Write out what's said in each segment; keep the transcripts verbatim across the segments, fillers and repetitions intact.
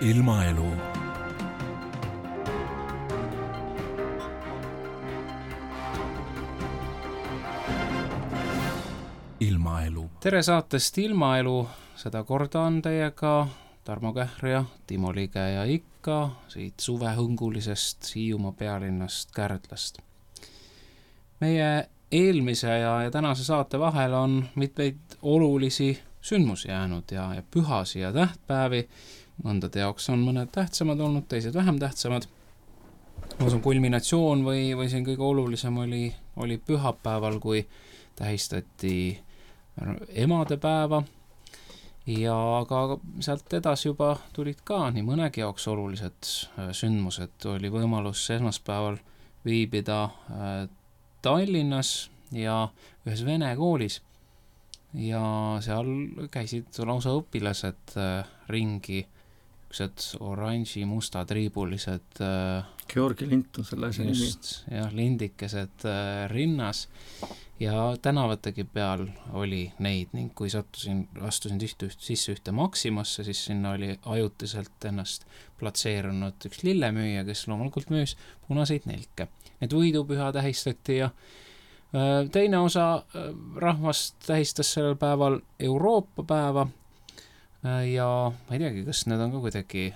ilmaelu. Ilmaelu. Tere saatest Ilmaelu, seda korda on teiega Tarmo Kähr ja Timo Lige ja ikka siit suvehõngulisest Hiiumaa pealinnast Kärdlast. Meie eelmise ja, ja tänase saate vahel on mitmeid olulisi sündmusi jäänud ja, ja pühasi ja tähtpäevi. Mõndade jaoks on mõned tähtsamad olnud, teised vähem tähtsamad. Ma usun, kulminatsioon või, või siin kõige olulisem oli, oli pühapäeval, kui tähistati emadepäeva. Ja aga sealt edasi juba tulid ka nii mõnegi jaoks olulised sündmused. Oli võimalus esmaspäeval viibida Tallinnas ja ühes vene koolis. Ja seal käisid lausa õpilased ringi, üksed oranži, musta triibulised Georgi lint on selle asja nimi. Ja lindikesed rinnas ja tänavategi peal oli neid ning kui sattusin, astusin tihti üht, sisse ühte Maximasse, siis sinna oli ajutiselt ennast platseerunud üks lillemüüja, kes loomulikult müüs punaseid nelke. Need võidupüha tähistati ja teine osa rahvast tähistas sellel päeval Euroopa päeva ja ma ei teagi, kas need on ka kuidagi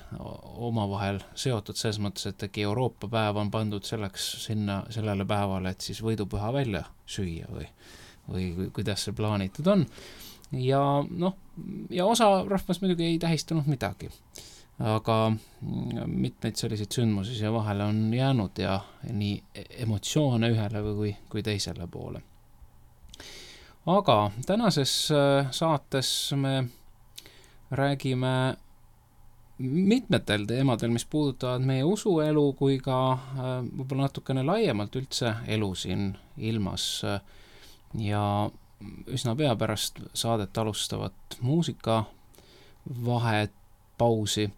omavahel seotud selles mõttes, et äkki Euroopa päev on pandud selleks sinna sellele päevale, et siis võidupüha välja süüa või, või kuidas see plaanitud on. Ja, noh, ja osa rahvast muidugi ei tähistanud midagi. Aga mitmeid selliseid sündmusi siia vahele on jäänud ja nii emotsioone ühele või kui teisele poole. Aga tänases saates me räägime mitmetel teemadel, mis puudutavad meie usuelu kui ka võib-olla natukene laiemalt üldse elu siin ilmas ja üsna pea pärast saadet alustavat muusika vahet pausi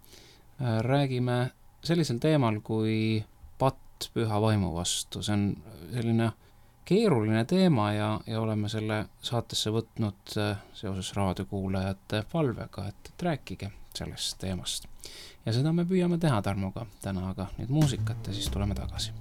räägime sellisel teemal kui patt püha vaimu vastu. See on selline keeruline teema ja, ja oleme selle saatesse võtnud seoses raadiokuulajate palvega, et, et rääkige sellest teemast. Ja seda me püüame teha Tarmoga täna, aga nüüd muusikat ja siis tuleme tagasi.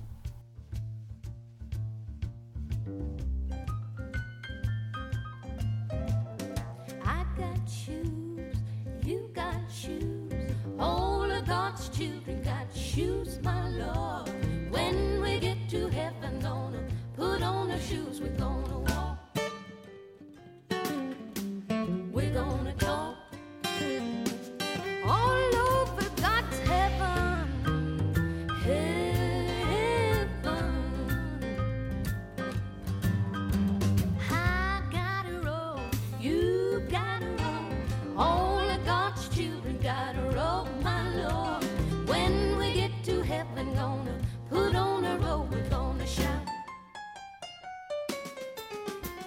All of God's children got shoes, my Lord. When we get to heaven, gonna put on our shoes. We're gonna walk. We're gonna talk. All over God's heaven, heaven. I gotta roll, you gotta roll. All of God's children gotta roll, my Lord. When we get to heaven, gonna put on a robe. We're gonna shout.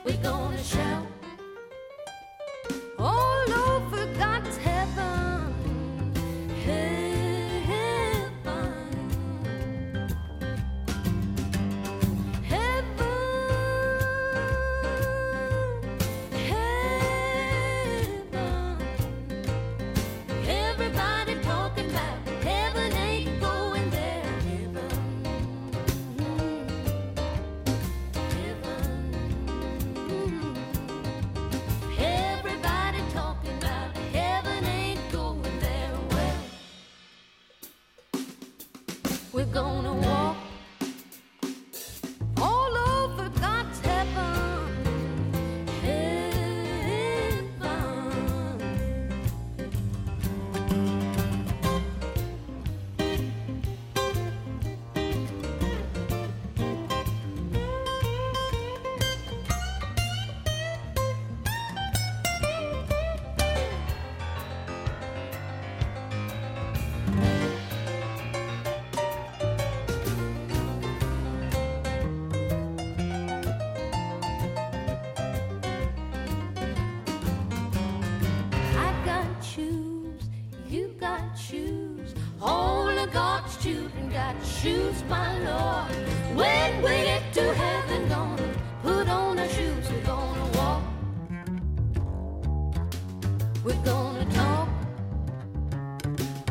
We're gonna shout. All over God's heaven, heaven, heaven, heaven. Everybody talking about heaven ain't going there. Heaven, heaven. Everybody talking about heaven ain't going there. Well, we're gonna walk all over God's heaven, heaven. I got shoes, you got shoes. All of God's children got shoes, my Lord. When we get to heaven, gonna put on our shoes. We're gonna walk. We're gonna talk.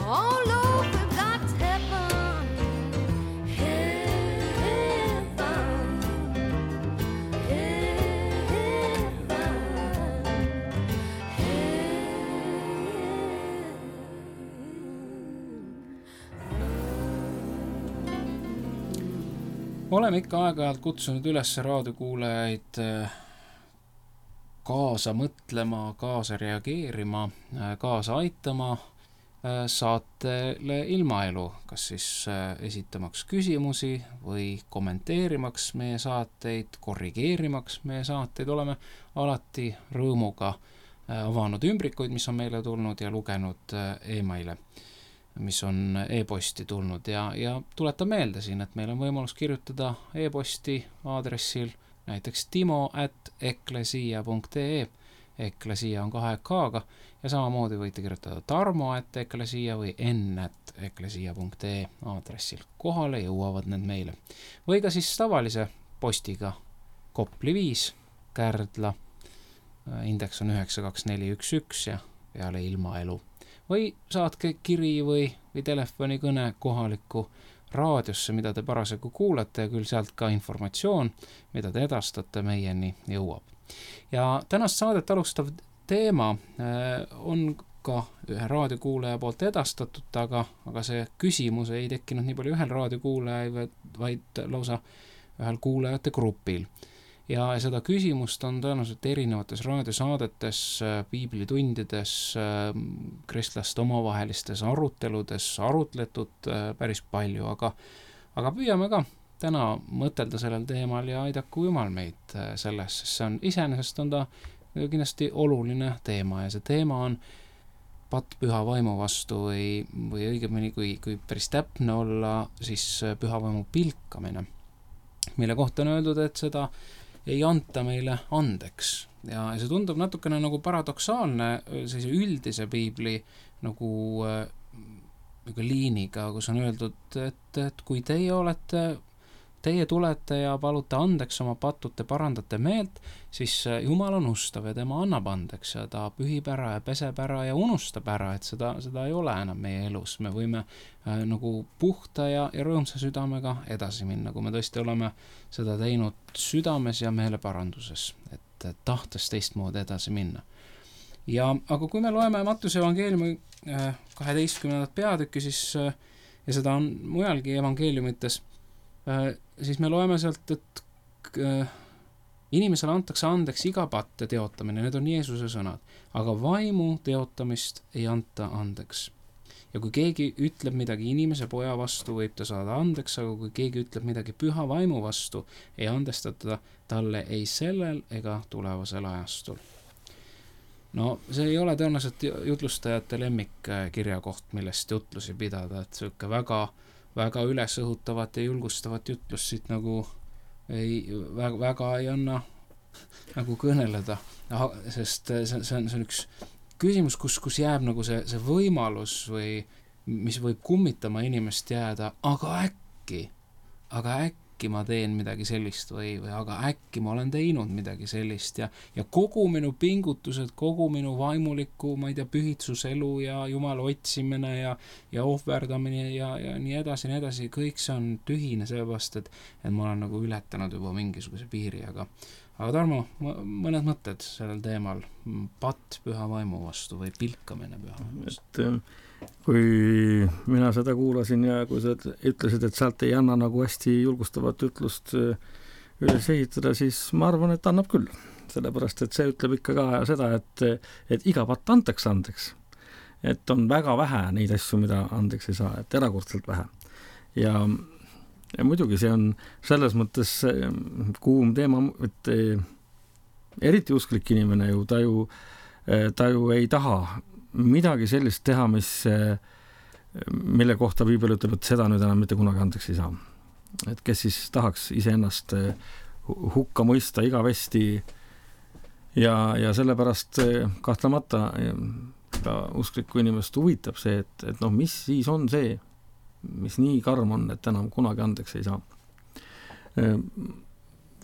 All oleme ikka aeg-ajalt kutsunud üles raadiokuulajaid kaasa mõtlema, kaasa reageerima, kaasa aitama saatele Ilmaelu, kas siis esitamaks küsimusi või kommenteerimaks meie saateid, korrigeerimaks meie saateid. Oleme alati rõõmuga avanud ümbrikuid, mis on meile tulnud ja lugenud e-maile, mis on e-posti tulnud ja, ja tuletan meelde siin, et meil on võimalus kirjutada e-posti aadressil näiteks timo at eklesia punkt ee, eklesia on kahe k-ga ja samamoodi võite kirjutada tarmo at eklesia või n at eklesia punkt ee aadressil. Kohale jõuavad need meile. Või ka siis tavalise postiga Kopli viis, Kärdla, indeks on üheksa kaks neli üks üks ja peale Ilmaelu. Või saatke kiri või, või telefonikõne kohalikku raadiosse, mida te parasjagu kuulate ja küll sealt ka informatsioon, mida te edastate, meieni jõuab. Ja tänast saadet alustav teema on ka ühe raadiokuulaja poolt edastatud, aga, aga see küsimus ei tekkinud nii palju ühel raadiokuulaja, vaid lausa ühel kuulajate grupil. Ja seda küsimust on tõenäoliselt erinevates raadiosaadetes, piiblitundides, kristlaste omavahelistes aruteludes arutletud päris palju, aga, aga püüame ka täna mõtelda sellel teemal ja aidaku Jumal meid selles, sest see on iseenesest on ta kindlasti oluline teema ja see teema on patt püha vaimu vastu või, või õigemini, kui, kui päris täpne olla, siis püha vaimu pilkamine, mille kohta on öeldud, et seda ei anta meile andeks. Ja see tundub natukene nagu paradoksaalne sellise üldise piibli nagu, nagu liiniga, kus on öeldud, et, et kui teie olete, teie tulete ja palute andeks oma patud, te parandate meelt, siis Jumal on ustav ja tema annab andeks ja ta pühib ära ja peseb ära ja unustab ära, et seda, seda ei ole enam meie elus. Me võime äh, nagu puhta ja, ja rõõmsa südamega edasi minna, kui me tõesti oleme seda teinud südames ja meeleparanduses, et, et tahtes teistmoodi edasi minna. Ja, aga kui me loeme Mattuse evangeeliumi äh, kaheteistkümnendat peatükki, siis äh, ja seda on mujalgi evangeeliumites, äh, siis me loeme sealt, et äh, inimesele antakse andeks iga patt ja teotamine, need on Jeesuse sõnad, aga vaimu teotamist ei anta andeks. Ja kui keegi ütleb midagi inimese poja vastu, võib ta saada andeks, aga kui keegi ütleb midagi püha vaimu vastu, ei andestata talle ei sellel ega tulevasel ajastul. No see ei ole tõenäoliselt jutlustajate lemmik kirjakoht, millest jutlusi pidada, et selline väga, väga ülesõhutavat ja julgustavat jutlust siit nagu ei, väga, väga ei anna nagu kõneleda, sest see, see, on, see on üks küsimus, kus, kus jääb nagu see, see võimalus või mis võib kummitama inimest jääda, aga äkki, aga äkki ma teen midagi sellist või, või aga äkki ma olen teinud midagi sellist ja, ja kogu minu pingutused, kogu minu vaimuliku, ma ei tea, pühitsuselu ja Jumala otsimine ja, ja ohverdamine ja, ja nii edasi, nii edasi, kõik see on tühine sellepärast, et, et ma olen nagu ületanud juba mingisuguse piiri, aga Aga Tarmo, mõned mõtted sellel teemal, patt püha vaimu vastu või pilkamine püha vaimu vastu? Et, kui mina seda kuulasin ja kui sa ütlesid, et sealt ei anna nagu hästi julgustavat ütlust üles ehitada, siis ma arvan, et annab küll. Sellepärast, et see ütleb ikka ka seda, et, et iga patt antaks andeks. Et on väga vähe neid asju, mida andeks ei saa, et erakordselt vähe. Ja Ja muidugi see on selles mõttes kuum teema, et eriti usklik inimene ju, ta ju, ta ju ei taha midagi sellist teha, mis, mille kohta Piibel ütleb, et seda nüüd enam mitte kunagi andeks ei saa. Et kes siis tahaks iseennast hukka mõista igavesti ja, ja sellepärast kahtlemata ka usklikku inimest huvitab see, et, et noh, mis siis on see, mis nii karm on, et enam kunagi andeks ei saa.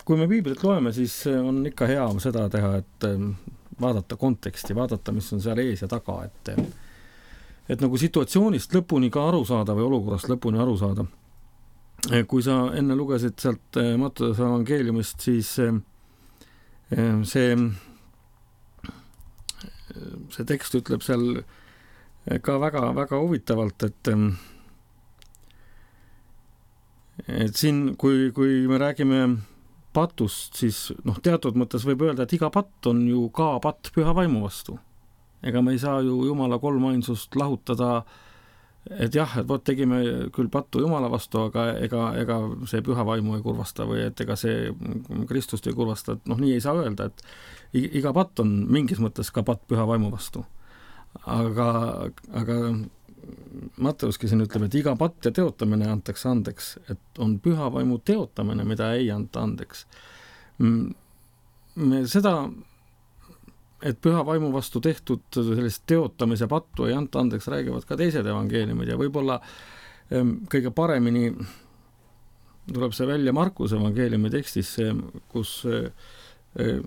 Kui me Piiblit loeme, siis on ikka hea seda teha, et vaadata konteksti, vaadata, mis on seal ees ja taga, et, et nagu situatsioonist lõpuni ka aru saada või olukorrast lõpuni aru saada. Kui sa enne lugesid sealt Mattuse evangeeliumist, siis see, see tekst ütleb seal ka väga, väga huvitavalt, et et siin, kui, kui me räägime patust, siis noh, teatud mõttes võib öelda, et iga patt on ju ka patt püha vaimu vastu. Ega me ei saa ju Jumala kolmainsust lahutada, et jah, et vot tegime küll pattu Jumala vastu, aga ega, ega see püha vaimu ei kurvasta või et ega see Kristust ei kurvasta, et noh, nii ei saa öelda, et iga patt on mingis mõttes ka patt püha vaimu vastu. Aga, aga Matteuski siin ütleb, et iga patt ja teotamine antakse andeks, et on püha vaimu teotamine, mida ei anta andeks. Me seda, et püha vaimu vastu tehtud sellist teotamise pattu ei anta andeks, räägivad ka teised evangeeliumid ja võib-olla kõige paremini tuleb see välja Markuse evangeeliumi tekstis, kus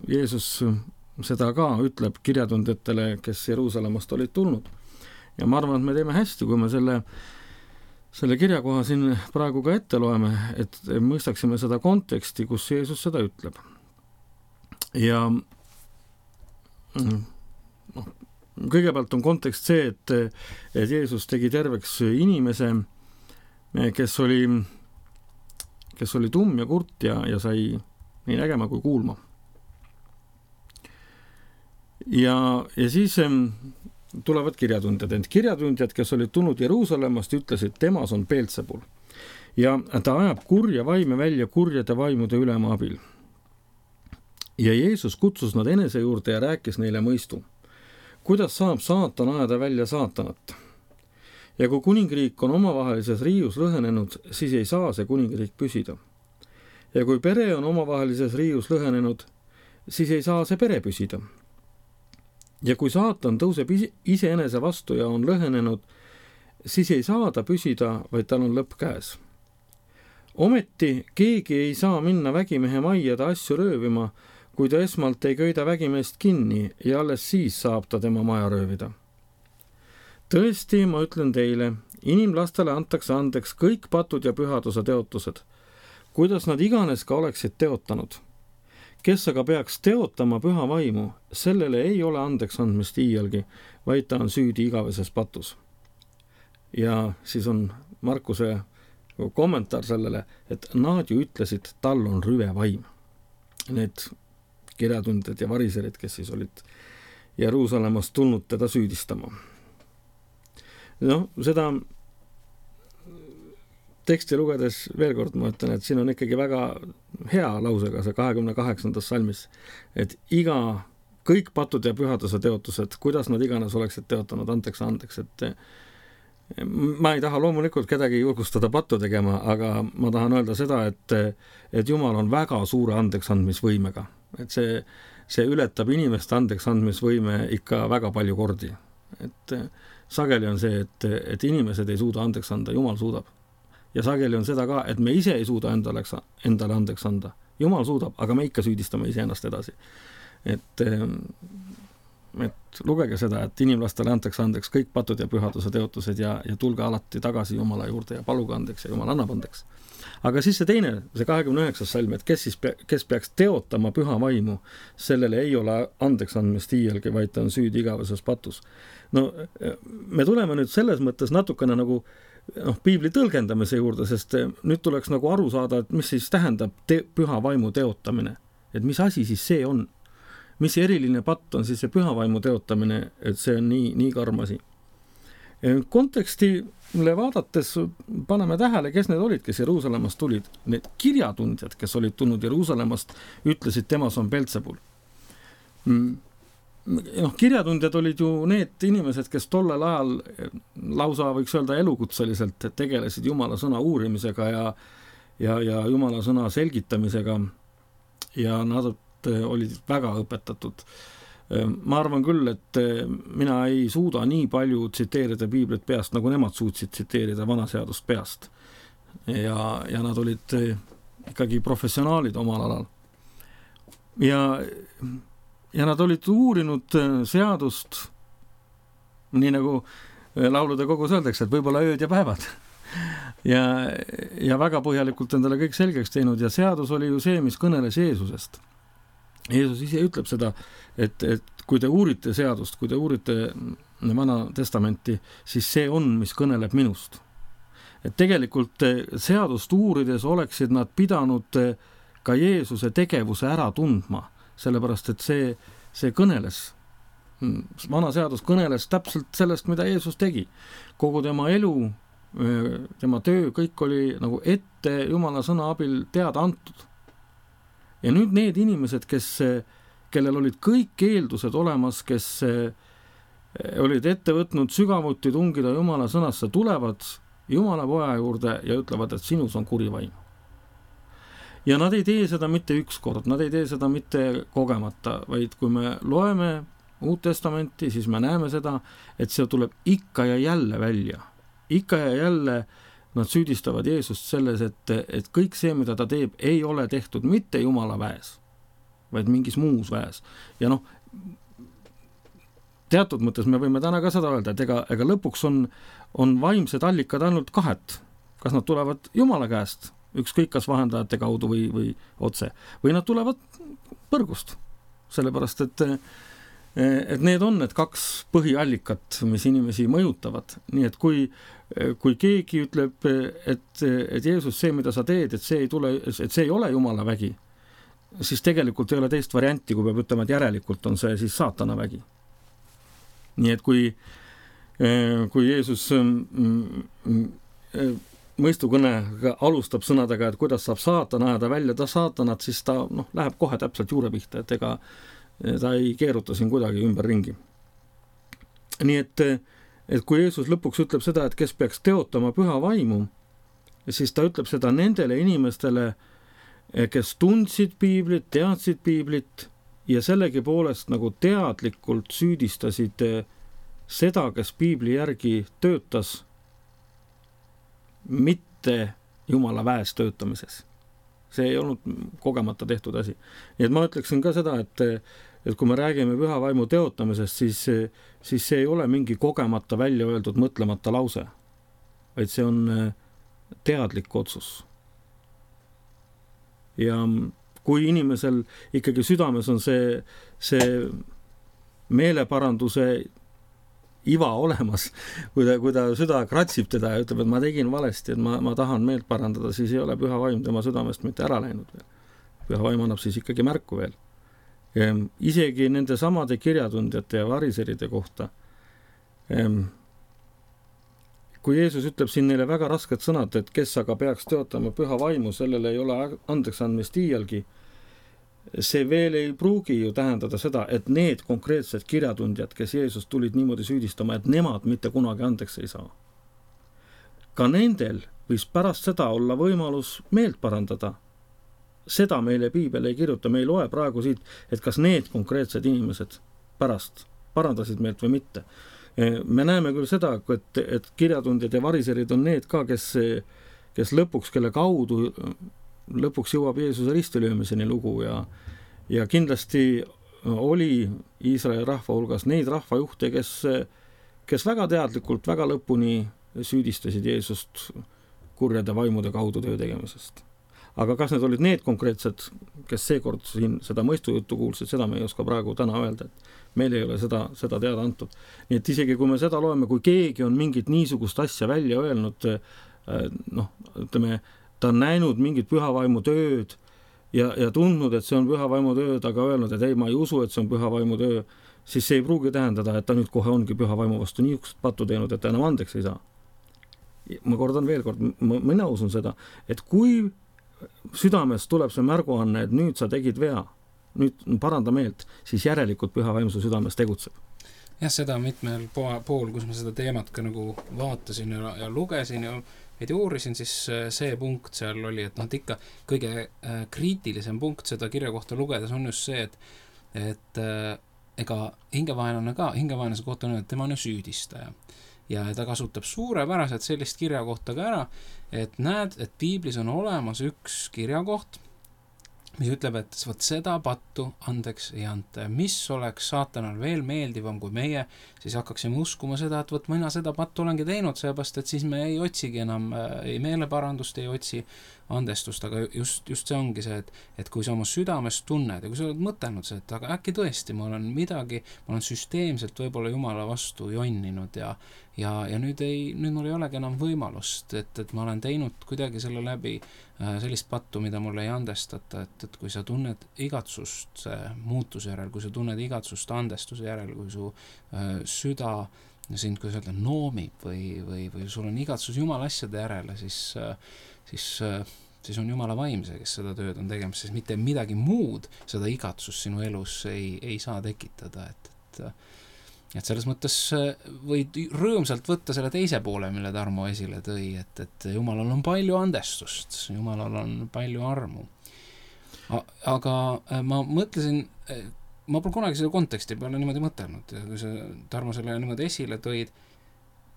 Jeesus seda ka ütleb kirjatundjatele, kes Jeruusalemmast olid tulnud. Ja ma arvan, et me teeme hästi, kui me selle, selle kirjakoha siin praegu ka ette loeme, et mõistaksime seda konteksti, kus Jeesus seda ütleb. Ja noh, kõigepealt on kontekst see, et, et Jeesus tegi terveks inimese, kes oli, kes oli tumm ja kurt ja, ja sai nii nägema kui kuulma. Ja, ja siis tulevad kirjatundjad, ent kirjatundjad, kes olid tulnud Jeruusalemmast, ütlesid, temas on Beelzebul ja ta ajab kurja vaime välja kurjade vaimude ülema abil. Ja Jeesus kutsus nad enese juurde ja rääkis neile mõistu. Kuidas saab saatan ajada välja saatanat? Ja kui kuningriik on omavahelises riius lõhenenud, siis ei saa see kuningriik püsida. Ja kui pere on omavahelises riius lõhenenud, siis ei saa see pere püsida. Ja kui saatan tõuseb iseenese vastu ja on lõhenenud, siis ei saa ta püsida, vaid tal on lõpp käes. Ometi keegi ei saa minna vägimehe majja ta asju röövima, kui ta esmalt ei köida vägimeest kinni ja alles siis saab ta tema maja röövida. Tõesti, ma ütlen teile, inimlastele antakse andeks kõik patud ja pühaduse teotused, kuidas nad iganes ka oleksid teotanud. Kes aga peaks teotama püha vaimu, sellele ei ole andeks andmist iialgi, vaid ta on süüdi igaveses patus. Ja siis on Markuse kommentaar sellele, et nad ju ütlesid, tal on rüve vaim. Need kirjatundjad ja variserid, kes siis olid Jeruusalemmast tulnud teda süüdistama. No, seda teksti lugedes veel kord ma ütlen, et siin on ikkagi väga hea lausega see kahekümne kaheksandas salmis, et iga, kõik patud ja pühaduse teotused, kuidas nad iganes oleksid teotanud, anteks andeks, et ma ei taha loomulikult kedagi julgustada pattu tegema, aga ma tahan öelda seda, et, et Jumal on väga suure andeks andmisvõimega, et see, see ületab inimeste andeks andmisvõime ikka väga palju kordi, et sageli on see, et, et inimesed ei suuda andeks anda, Jumal suudab. Ja sageli on seda ka, et me ise ei suuda endale, endale andeks anda. Jumal suudab, aga me ikka süüdistame ise ennast edasi. Et, et lugege seda, et inimlastele antakse andeks kõik patud ja pühaduse teotused ja, ja tulge alati tagasi Jumala juurde ja paluge andeks ja Jumal annab andeks. Aga siis see teine, see kahekümne üheksas salm, et kes, siis pe, kes peaks teotama püha vaimu, sellele ei ole andeks andmist iialgi, vaid ta on süüdi igaveses patus. No me tuleme nüüd selles mõttes natukene nagu noh, piibli tõlgendamise juurde, sest nüüd tuleks nagu aru saada, et mis siis tähendab te, püha vaimu teotamine. Et mis asi siis see on? Mis eriline patt on siis see püha vaimu teotamine, et see on nii, nii karm asi. Kontekstile vaadates paneme tähele, kes need olid, kes Jeruusalemmast tulid. Need kirjatundjad, kes olid tulnud Jeruusalemmast, ütlesid, temas on Beelzebul. noh, kirjatundjad olid ju need inimesed, kes tollel ajal lausa võiks öelda elukutseliselt tegelesid Jumala sõna uurimisega ja, ja, ja Jumala sõna selgitamisega ja nad olid väga õpetatud. Ma arvan küll, et mina ei suuda nii palju tsiteerida piiblit peast, nagu nemad suutsid tsiteerida vanaseadust peast. Ja, ja nad olid ikkagi professionaalid omal alal. Ja, ja nad olid uurinud seadust, nii nagu laulude kogus öeldakse, et võib-olla ööd ja päevad. Ja, ja väga põhjalikult endale kõik selgeks teinud ja seadus oli ju see, mis kõneles Jeesusest. Jeesus ise ütleb seda, et, et kui te uurite seadust, kui te uurite vana testamenti, siis see on, mis kõneleb minust. et tegelikult seadust uurides oleksid nad pidanud ka Jeesuse tegevuse ära tundma, sellepärast et see, see kõneles, vana seadus kõneles täpselt sellest, mida Jeesus tegi. Kogu tema elu, tema töö, kõik oli nagu ette Jumala sõna abil teada antud. Ja nüüd need inimesed, kes, kellel olid kõik eeldused olemas, kes olid ette võtnud sügavuti tungida Jumala sõnasse, tulevad Jumala poja juurde ja ütlevad, et sinus on kuri vaim. Ja nad ei tee seda mitte üks kord, nad ei tee seda mitte kogemata, vaid kui me loeme Uut Testamenti, siis me näeme seda, et see tuleb ikka ja jälle välja. Ikka ja jälle nad süüdistavad Jeesust selles, et, et kõik see, mida ta teeb, ei ole tehtud mitte Jumala väes, vaid mingis muus väes. Ja noh, teatud mõttes me võime täna ka seda öelda, et ega, ega lõpuks on, on vaimsed allikad ainult kahet. Kas nad tulevad Jumala käest, ükskõik kas vahendajate kaudu või, või otse, või nad tulevad põrgust. Sellepärast, et, et need on need kaks põhiallikat, mis inimesi mõjutavad. Nii et kui, kui keegi ütleb, et, et Jeesus, see, mida sa teed, et see ei tule, et see ei ole Jumala vägi, siis tegelikult ei ole teist varianti, kui peab ütlema, et järelikult on see siis saatana vägi. Nii et kui, kui Jeesus mõistukõne alustab sõnadega, et kuidas saab saatan ajada välja ta saatanat, siis ta noh, läheb kohe täpselt juure pihta, et ega ta ei keeruta siin kuidagi ümber ringi. Nii et, et kui Jeesus lõpuks ütleb seda, et kes peaks teotama püha vaimu, siis ta ütleb seda nendele inimestele, kes tundsid piiblit, teadsid piiblit ja sellegi poolest nagu teadlikult süüdistasid seda, kes piibli järgi töötas, mitte Jumala väes töötamises. See ei olnud kogemata tehtud asi. Nii et ma ütleksin ka seda, et, et kui me räägime püha vaimu teotamisest, siis, siis see ei ole mingi kogemata välja öeldud mõtlemata lause, vaid see on teadlik otsus. Ja kui inimesel ikkagi südames on see, see meeleparanduse iva olemas, kui ta, kui ta süda kratsib teda ja ütleb, et ma tegin valesti, et ma, ma tahan meelt parandada, siis ei ole püha vaim tema südamest mitte ära läinud veel. Püha vaim annab siis ikkagi märku veel. Ja isegi nende samade kirjatundjate ja variseride kohta. Kui Jeesus ütleb siin neile väga rasked sõnad, et kes aga peaks teotama püha vaimu, sellele ei ole andeks andmist iialgi, see veel ei pruugi ju tähendada seda, et need konkreetsed kirjatundjad, kes Jeesus tulid niimoodi süüdistama, et nemad mitte kunagi andeks ei saa. Ka nendel võis pärast seda olla võimalus meelt parandada. Seda meile piibel ei kirjuta, me ei loe praegu siit, et kas need konkreetsed inimesed pärast parandasid meelt või mitte. Me näeme küll seda, et, et kirjatundjad ja variserid on need ka, kes, kes lõpuks, kelle kaudu lõpuks jõuab Jeesuse ristilöömiseni lugu ja, ja kindlasti oli Iisraeli rahva hulgas neid rahvajuhte, kes, kes väga teadlikult, väga lõpuni süüdistasid Jeesust kurjade vaimude kaudu töö tegemisest. Aga kas need olid need konkreetsed, kes seekord siin seda mõistujuttu kuulsid, seda me ei oska praegu täna öelda, et meil ei ole seda, seda teada antud. Nii et isegi kui me seda loeme, kui keegi on mingit niisugust asja välja öelnud, noh, ütleme, ta on näinud mingit pühavaimu tööd ja, ja tundnud, et see on pühavaimu tööd, aga öelnud, et ei, ma ei usu, et see on pühavaimu töö, siis see ei pruugi tähendada, et ta nüüd kohe ongi pühavaimu vastu niisugust pattu teinud, et ta enam andeks ei saa. Ma kordan veel kord, mina usun seda, et kui südames tuleb see märguanne, et nüüd sa tegid vea, nüüd paranda meelt, siis järelikult pühavaimsu südames tegutseb. Jah, seda mitmel pool, kus ma seda teemat ka nagu vaatasin ja, ja lugesin ja veidi uurisin, siis see punkt seal oli, et noh, et ikka kõige kriitilisem punkt seda kirja kohta lugedes on just see, et, et ega hingevaenlane ka, hingevaenlase kohta on, et tema on ju süüdistaja. Ja ta kasutab suurepäraselt sellist kirja kohta ka ära, et näed, et piiblis on olemas üks kirjakoht, mis ütleb, et võt seda pattu andeks ei anta. Mis oleks saatanal veel meeldivam kui meie, siis hakkaksime uskuma seda, et võt mina seda pattu olengi teinud, seepärast, et siis me ei otsigi enam, ei meeleparandust ei otsi, andestust, aga just, just see ongi see, et, et kui sa oma südames tunned ja kui sa oled mõtelnud see, et aga äkki tõesti ma olen midagi, ma olen süsteemselt võib-olla Jumala vastu jonninud ja ja, ja nüüd ei, nüüd mul ei olegi enam võimalust, et, et ma olen teinud kuidagi selle läbi äh, sellist pattu, mida mulle ei andestata, et, et kui sa tunned igatsust äh, muutuse järel, kui sa tunned igatsust andestuse järel, kui su äh, süda sind, kui sa öelda, noomib või, või, või sul on igatsus Jumala asjade järele, siis, siis, siis on Jumala vaim see, kes seda tööd on tegemas, siis mitte midagi muud seda igatsust sinu elus ei, ei saa tekitada, et, et, et selles mõttes võid rõõmsalt võtta selle teise poole, mille Tarmo esile tõi, et, et Jumalal on palju andestust, Jumalal on palju armu. Aga ma mõtlesin, ma pole kunagi selle konteksti peale niimoodi mõtelnud ja kui sa, Tarmo, selle niimoodi esile tõid,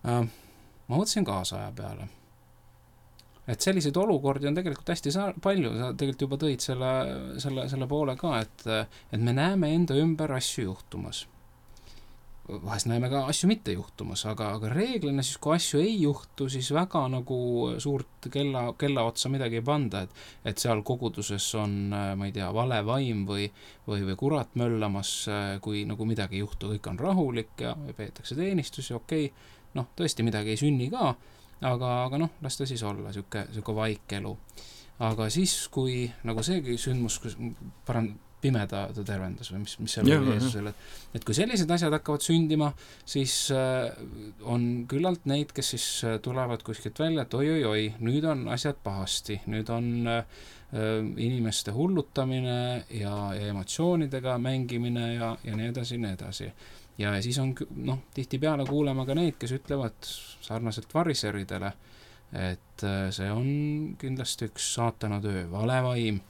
äh, ma mõtlesin kaasaja peale. Et selliseid olukordi on tegelikult hästi sa- palju, sa tegelikult juba tõid selle, selle, selle poole ka, et, et me näeme enda ümber asju juhtumas. Vahest näeme ka asju mitte juhtumas, aga, aga reeglina siis, kui asju ei juhtu, siis väga nagu suurt kella, kella otsa midagi ei panda, et, et seal koguduses on, ma ei tea, vale vaim või, või, või kurat möllamas, kui nagu midagi ei juhtu, kõik on rahulik ja peetakse teenistusi, okei, noh, tõesti midagi ei sünni ka, aga, aga noh, las ta siis olla, siuke, siuke vaik elu. Aga siis, kui nagu seegi sündmus, kus paran, pimeda ta tervendas või mis, mis seal oli Jeesusel, et, et kui sellised asjad hakkavad sündima, siis äh, on küllalt neid, kes siis tulevad kuskilt välja, et oi, oi, oi, nüüd on asjad pahasti, nüüd on äh, inimeste hullutamine ja, ja emotsioonidega mängimine ja, ja nii edasi, nii edasi. Ja siis on, noh, tihtipeale kuulema ka neid, kes ütlevad sarnaselt variseridele, et äh, see on kindlasti üks saatana töö, vale vaim,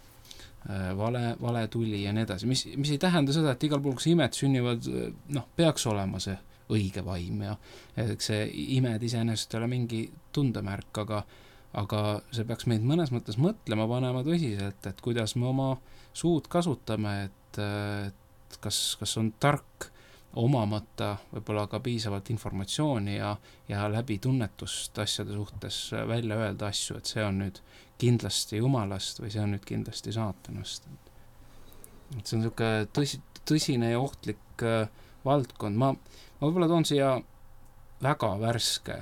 vale, vale tuli ja nii edasi, mis, mis ei tähenda seda, et igal pool, kus imed sünnivad, noh, peaks olema see õige vaim ja see imed iseenesest ei ole mingi tundemärk, aga, aga see peaks meid mõnes mõttes mõtlema panema tõsiselt, et kuidas me oma suud kasutame, et, et kas, kas on tark omamata võib-olla ka piisavalt informatsiooni ja, ja läbi tunnetust asjade suhtes välja öelda asju, et see on nüüd kindlasti Jumalast või see on nüüd kindlasti saatanast. Et see on niisugune tõsi, tõsine ja ohtlik äh, valdkond. Ma, ma võib-olla toon siia väga värske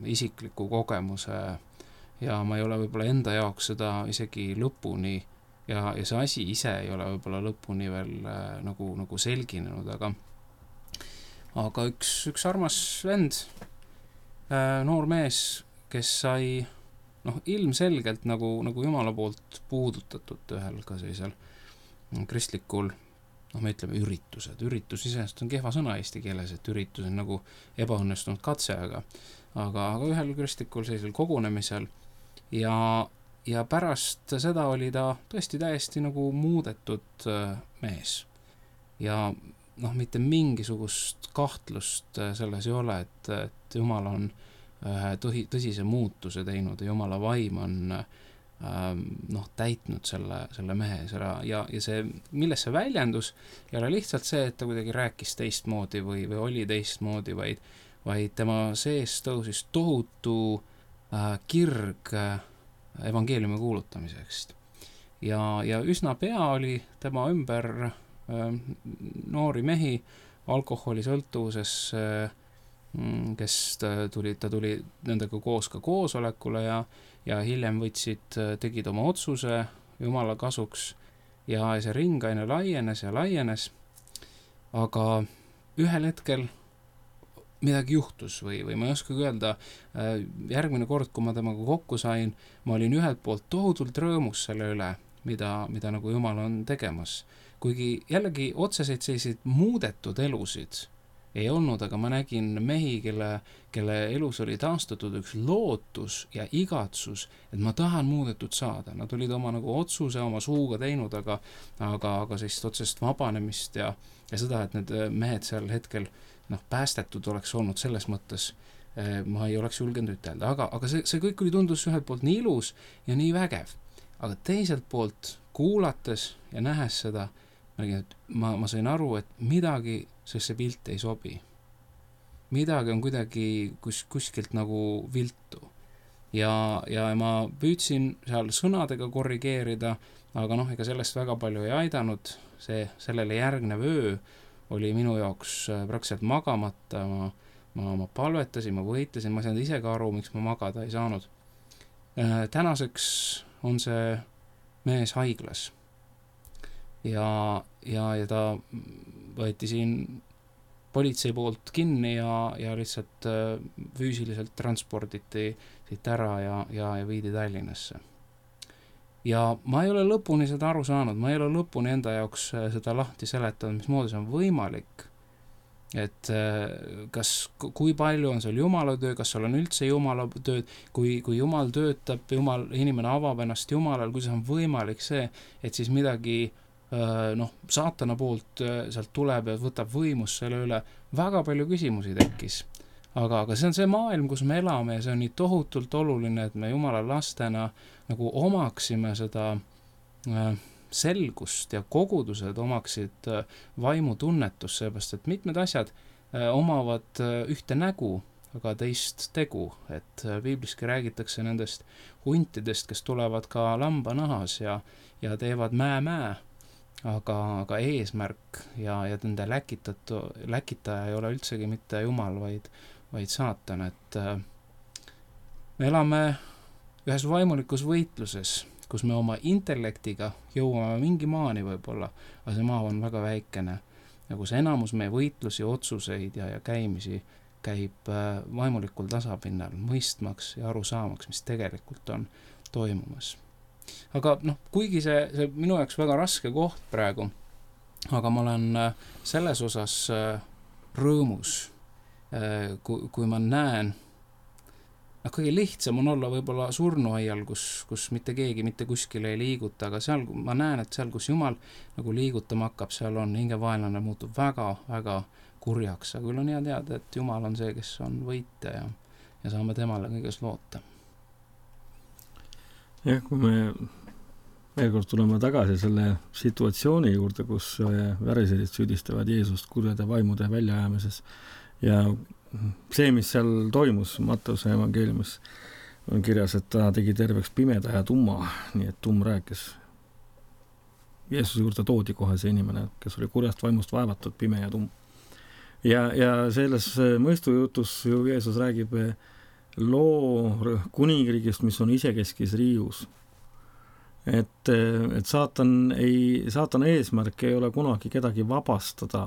isikliku kogemuse ja ma ei ole võib-olla enda jaoks seda isegi lõpuni ja, ja see asi ise ei ole võib-olla lõpuni veel äh, nagu, nagu selginenud, aga aga üks, üks armas vend, äh, noor mees, kes sai noh, ilmselgelt nagu, nagu Jumala poolt puudutatud ühel ka sellisel kristlikul, noh, me ütleme üritused. Üritus iseenesest on kehva sõna eesti keeles, et üritus on nagu ebaõnnestunud katse, aga, aga, aga ühel kristlikul sellisel kogunemisel ja, ja pärast seda oli ta tõesti täiesti nagu muudetud mees. Ja noh, mitte mingisugust kahtlust selles ei ole, et, et Jumal on Tõhi, tõsise muutuse teinud ja Jumala vaim on ähm, noh, täitnud selle, selle mehe selle, ja, ja see, milles see väljendus ei ole lihtsalt see, et ta kuidagi rääkis teistmoodi või, või oli teistmoodi, vaid, vaid tema sees tõusis tohutu äh, kirg äh, evangeeliumi kuulutamiseks. Ja, ja üsna pea oli tema ümber äh, noori mehi alkoholisõltuvuses äh, kes ta tuli, ta tuli nendega koos ka koosolekule ja, ja hiljem võtsid, tegid oma otsuse Jumala kasuks ja see ring aina laienes ja laienes, aga ühel hetkel midagi juhtus või, või ma ei oskagi öelda, järgmine kord, kui ma temaga kokku sain, ma olin ühelt poolt tohutult rõõmus selle üle, mida, mida nagu Jumal on tegemas, kuigi jällegi otseseid selliseid muudetud elusid ei olnud, aga ma nägin mehi, kelle, kelle elus oli taastatud üks lootus ja igatsus, et ma tahan muudetud saada. Nad olid oma nagu otsuse oma suuga teinud, aga, aga, aga sellist otsest vabanemist ja, ja seda, et need mehed seal hetkel noh, päästetud oleks olnud selles mõttes, ma ei oleks julgenud ütelda, aga, aga see, see kõik oli tundus ühelt poolt nii ilus ja nii vägev, aga teiselt poolt kuulates ja nähes seda, ma, ma sain aru, et midagi sest see pilt ei sobi. Midagi on kuidagi kus, kuskilt nagu viltu. ja, ja ma püüdsin seal sõnadega korrigeerida, aga noh, ega sellest väga palju ei aidanud, see sellele järgnev öö oli minu jaoks praktiliselt magamata, ma, ma, ma palvetasin, ma võitlesin, ma ei saanud ise ka aru, miks ma magada ei saanud. Tänaseks on see mees haiglas ja, ja, ja ta võeti siin politsei poolt kinni ja, ja lihtsalt füüsiliselt transporditi siit ära ja, ja, ja viidi Tallinnasse. Ja ma ei ole lõpuni seda aru saanud, ma ei ole lõpuni enda jaoks seda lahti seletanud, mismoodi see on võimalik, et kas, kui palju on seal Jumala töö, kas seal on üldse Jumala tööd, kui, kui Jumal töötab, Jumal, inimene avab ennast Jumalal, kuidas on võimalik see, et siis midagi noh, saatana poolt sealt tuleb ja võtab võimust selle üle, väga palju küsimusi tekkis. Aga, aga see on see maailm, kus me elame ja see on nii tohutult oluline, et me Jumala lastena nagu omaksime seda äh, selgust ja kogudused omaksid äh, vaimutunnetust, seepärast, et mitmed asjad äh, omavad äh, ühte nägu, aga teist tegu, et äh, piibliski räägitakse nendest huntidest, kes tulevad ka lambanahas ja, ja teevad mää-mää, aga, aga eesmärk ja, ja nende läkitatu, läkitaja ei ole üldsegi mitte Jumal, vaid, vaid saatan, et äh, me elame ühes vaimulikus võitluses, kus me oma intellektiga jõuame mingi maani võib-olla, aga see maa on väga väikene, ja kus enamus meie võitlusi, otsuseid ja, ja käimisi käib äh, vaimulikul tasapinnal, mõistmaks ja aru saamaks, mis tegelikult on toimumas. Aga noh, kuigi see, see minu jaoks väga raske koht praegu, aga ma olen äh, selles osas äh, rõõmus, äh, kui, kui ma näen, noh, kõige lihtsam on olla võib-olla surnuaial, kus, kus mitte keegi mitte kuskile ei liiguta, aga seal ma näen, et seal, kus Jumal nagu liigutama hakkab, seal on hingevaenlane muutub väga, väga kurjaks, aga küll on hea teada, et Jumal on see, kes on võitja ja, ja saame temale kõiges loota. Jah, kui me veel kord tuleme tagasi selle situatsiooni juurde, kus väriserid süüdistavad Jeesust kurjade vaimude väljaajamises ja see, mis seal toimus Matteuse evangeeliumis, on kirjas, et ta tegi terveks pimeda ja tumma, nii et tumm rääkis. Jeesuse juurde toodi kohe see inimene, kes oli kurjast vaimust vaevatud, pime ja tumm. Ja, ja selles mõistujutus ju Jeesus räägib loo kuningriigist, mis on isekeskis riius. Et, et saatan, ei, saatan eesmärk ei ole kunagi kedagi vabastada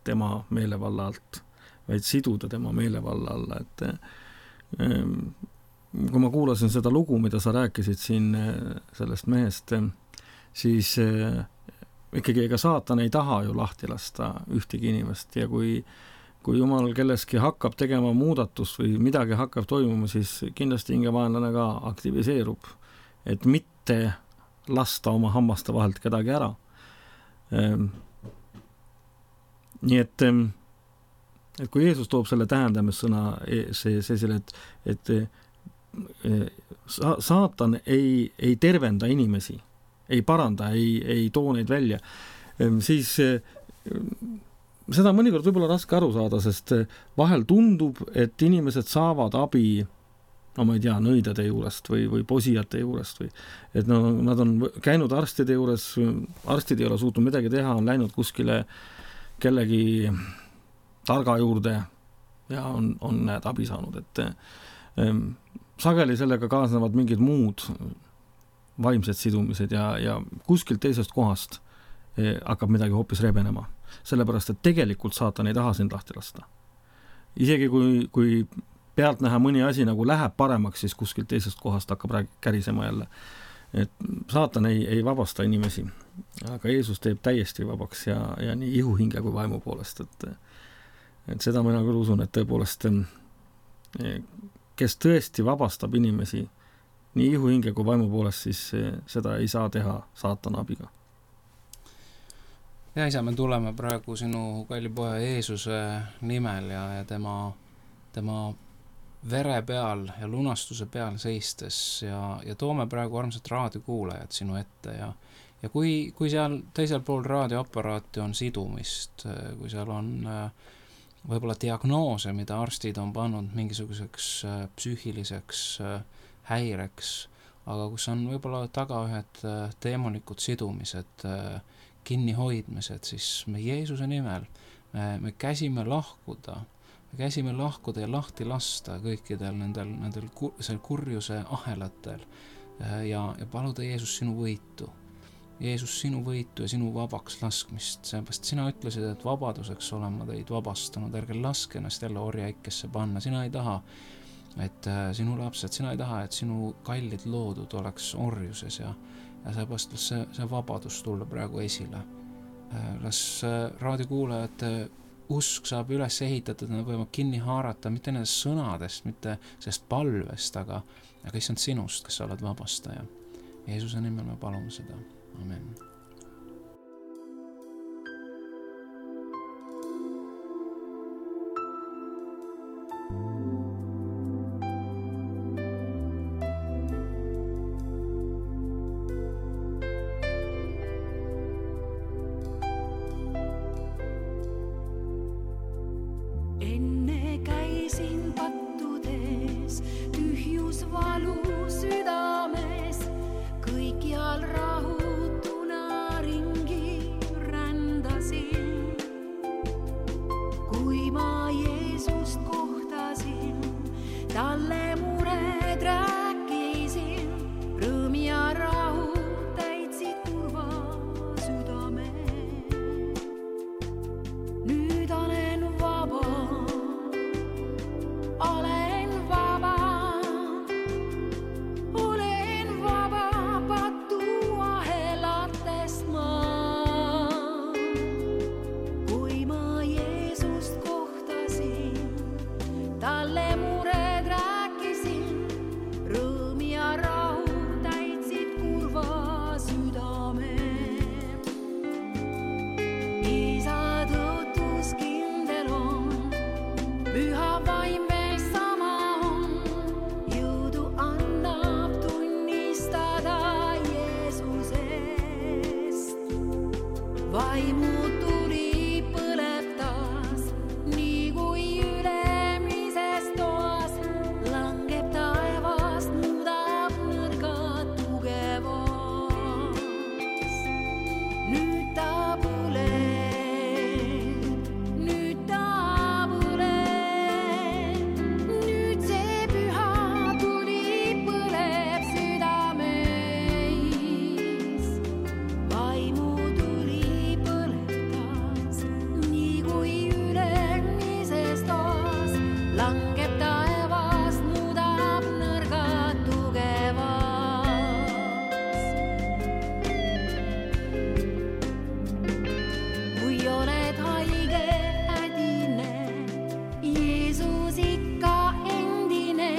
tema meelevalla alt, vaid siduda tema meelevalla alla, et kui ma kuulasin seda lugu, mida sa rääkisid siin sellest mehest, siis ikkagi ega saatan ei taha ju lahti lasta ühtegi inimest ja kui, kui Jumal kelleski hakkab tegema muudatust või midagi hakkab toimuma, siis kindlasti hingevaenlane ka aktiviseerub, et mitte lasta oma hammaste vahelt kedagi ära. Nii et et kui Jeesus toob selle tähendamissõna, see, see selle, et, et sa, saatan ei, ei tervenda inimesi, ei paranda, ei, ei too neid välja, siis seda mõnikord võib-olla raske aru saada, sest vahel tundub, et inimesed saavad abi, no ma ei tea, nõidade juurest või, või posijate juurest või et no, nad on käinud arstide juures, arstid ei ole suutnud midagi teha, on läinud kuskile kellegi targa juurde ja on, on näed abi saanud, et ähm, sageli sellega kaasnevad mingid muud vaimsed sidumised ja, ja kuskilt teisest kohast eh, hakkab midagi hoopis rebenema. Sellepärast, et tegelikult saatan ei taha sind lahti lasta. Isegi kui, kui pealt näha mõni asi nagu läheb paremaks, siis kuskilt teisest kohast hakkab kärisema jälle. Et saatan ei, ei vabasta inimesi, aga Jeesus teeb täiesti vabaks ja, ja nii ihuhinge kui vaimu poolest, et et seda mina küll usun, et tõepoolest kes tõesti vabastab inimesi nii ihuhinge kui vaimu poolest, siis seda ei saa teha saatana abiga. Ja isa, me tuleme praegu sinu kalli poja Jeesuse nimel ja, ja tema, tema vere peal ja lunastuse peal seistes ja, ja toome praegu armsad raadiokuulajad sinu ette ja, ja kui, kui seal teisel pool raadioaparaati on sidumist, kui seal on võib-olla diagnoose, mida arstid on pannud mingisuguseks psüühiliseks häireks, aga kus on võib-olla taga ühed teemonikud sidumised, kinnihoidmised, siis me Jeesuse nimel, me, me käsime lahkuda, me käsime lahkuda ja lahti lasta kõikidel nendel, nendel kur, seal kurjuse ahelatel ja, ja paluda Jeesus sinu võitu. Jeesus sinu võitu ja sinu vabaks laskmist, seepärast sina ütlesid, et vabaduseks olen ma teid vabastanud, ärge laske ennast jälle orjaikesse panna, sina ei taha, et äh, sinu lapsed, sina ei taha, et sinu kallid loodud oleks orjuses ja, ja seepärast las see, see vabadus tulla praegu esile. Äh, las äh, raadiokuulajate usk saab üles ehitatud, nad võivad kinni haarata mitte nendest sõnadest, mitte sellest palvest, aga, aga issand sinust, kes sa oled vabastaja. Jeesuse nimel me palume seda. Amen. Enne käisin pattudes, tühjus valu südames, kõikjal rahu talle mured rääkisin, rõõm ja rahu täitsid kurva südame. Nüüd olen vaba, olen vaba, olen vaba patu ahelatest ma. Kui ma Jeesust kohtasin, talle vaimu tuli põleptas, nii kui ülemises toas, langeb taevast, muudab nõrga tugevaks. Nüüd ta põleb, nüüd ta põleb, nüüd see püha tuli põleb südameis. Vaimu langeb taevast, muudab nõrga tugevaks. Kui oled haige, hädine, Jeesus ikka endine,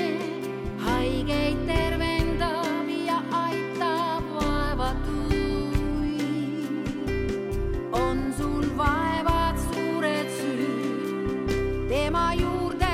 haigeid tervendab ja aitab vaevatuid. On sul vaevad suured süüd, tema juurde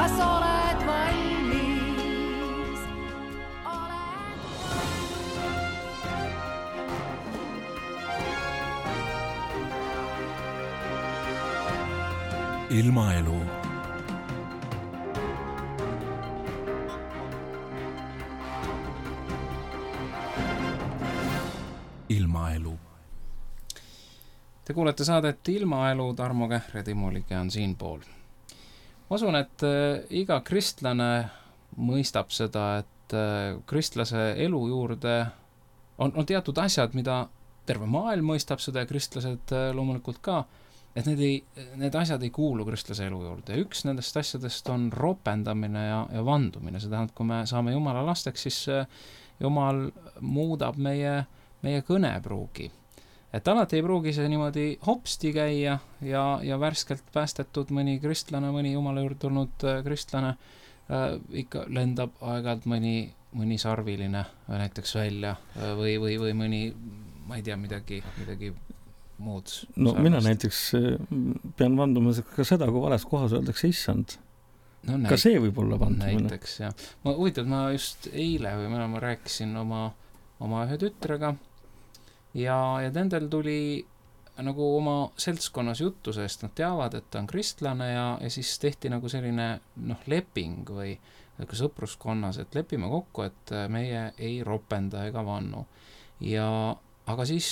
kas oled valmis? Oled... Ilmaelu. Ilmaelu. Te kuulete saadet Ilmaelu, Tarmo Kähr ja Timo Lige on siinpool. Ma usun, et iga kristlane mõistab seda, et kristlase elu juurde on, on teatud asjad, mida terve maailm mõistab seda ja kristlased loomulikult ka, et need, ei, need asjad ei kuulu kristlase elu juurde. Ja üks nendest asjadest on ropendamine ja, ja vandumine. See tähendab, kui me saame Jumala lasteks, siis Jumal muudab meie, meie kõnepruugi. Et alati ei pruugi see niimoodi hopsti käia ja, ja värskelt päästetud mõni kristlane, mõni Jumala juurde tulnud kristlane äh, ikka lendab aeg-ajalt mõni, mõni sarviline näiteks välja või, või, või mõni, ma ei tea, midagi, midagi muud. No sarvast. Mina näiteks pean vanduma ka seda, kui vales kohas öeldakse issand. No, näit- ka see võib olla vandumine. Näiteks, jah. Ma huvitav, ma just eile või ma, ma rääkisin oma, oma ühe tütrega ja, ja nendel tuli nagu oma seltskonnas juttu, sest nad teavad, et ta on kristlane ja, ja siis tehti nagu selline noh, leping või nagu sõpruskonnas, et lepime kokku, et meie ei ropenda ega vannu. Ja aga siis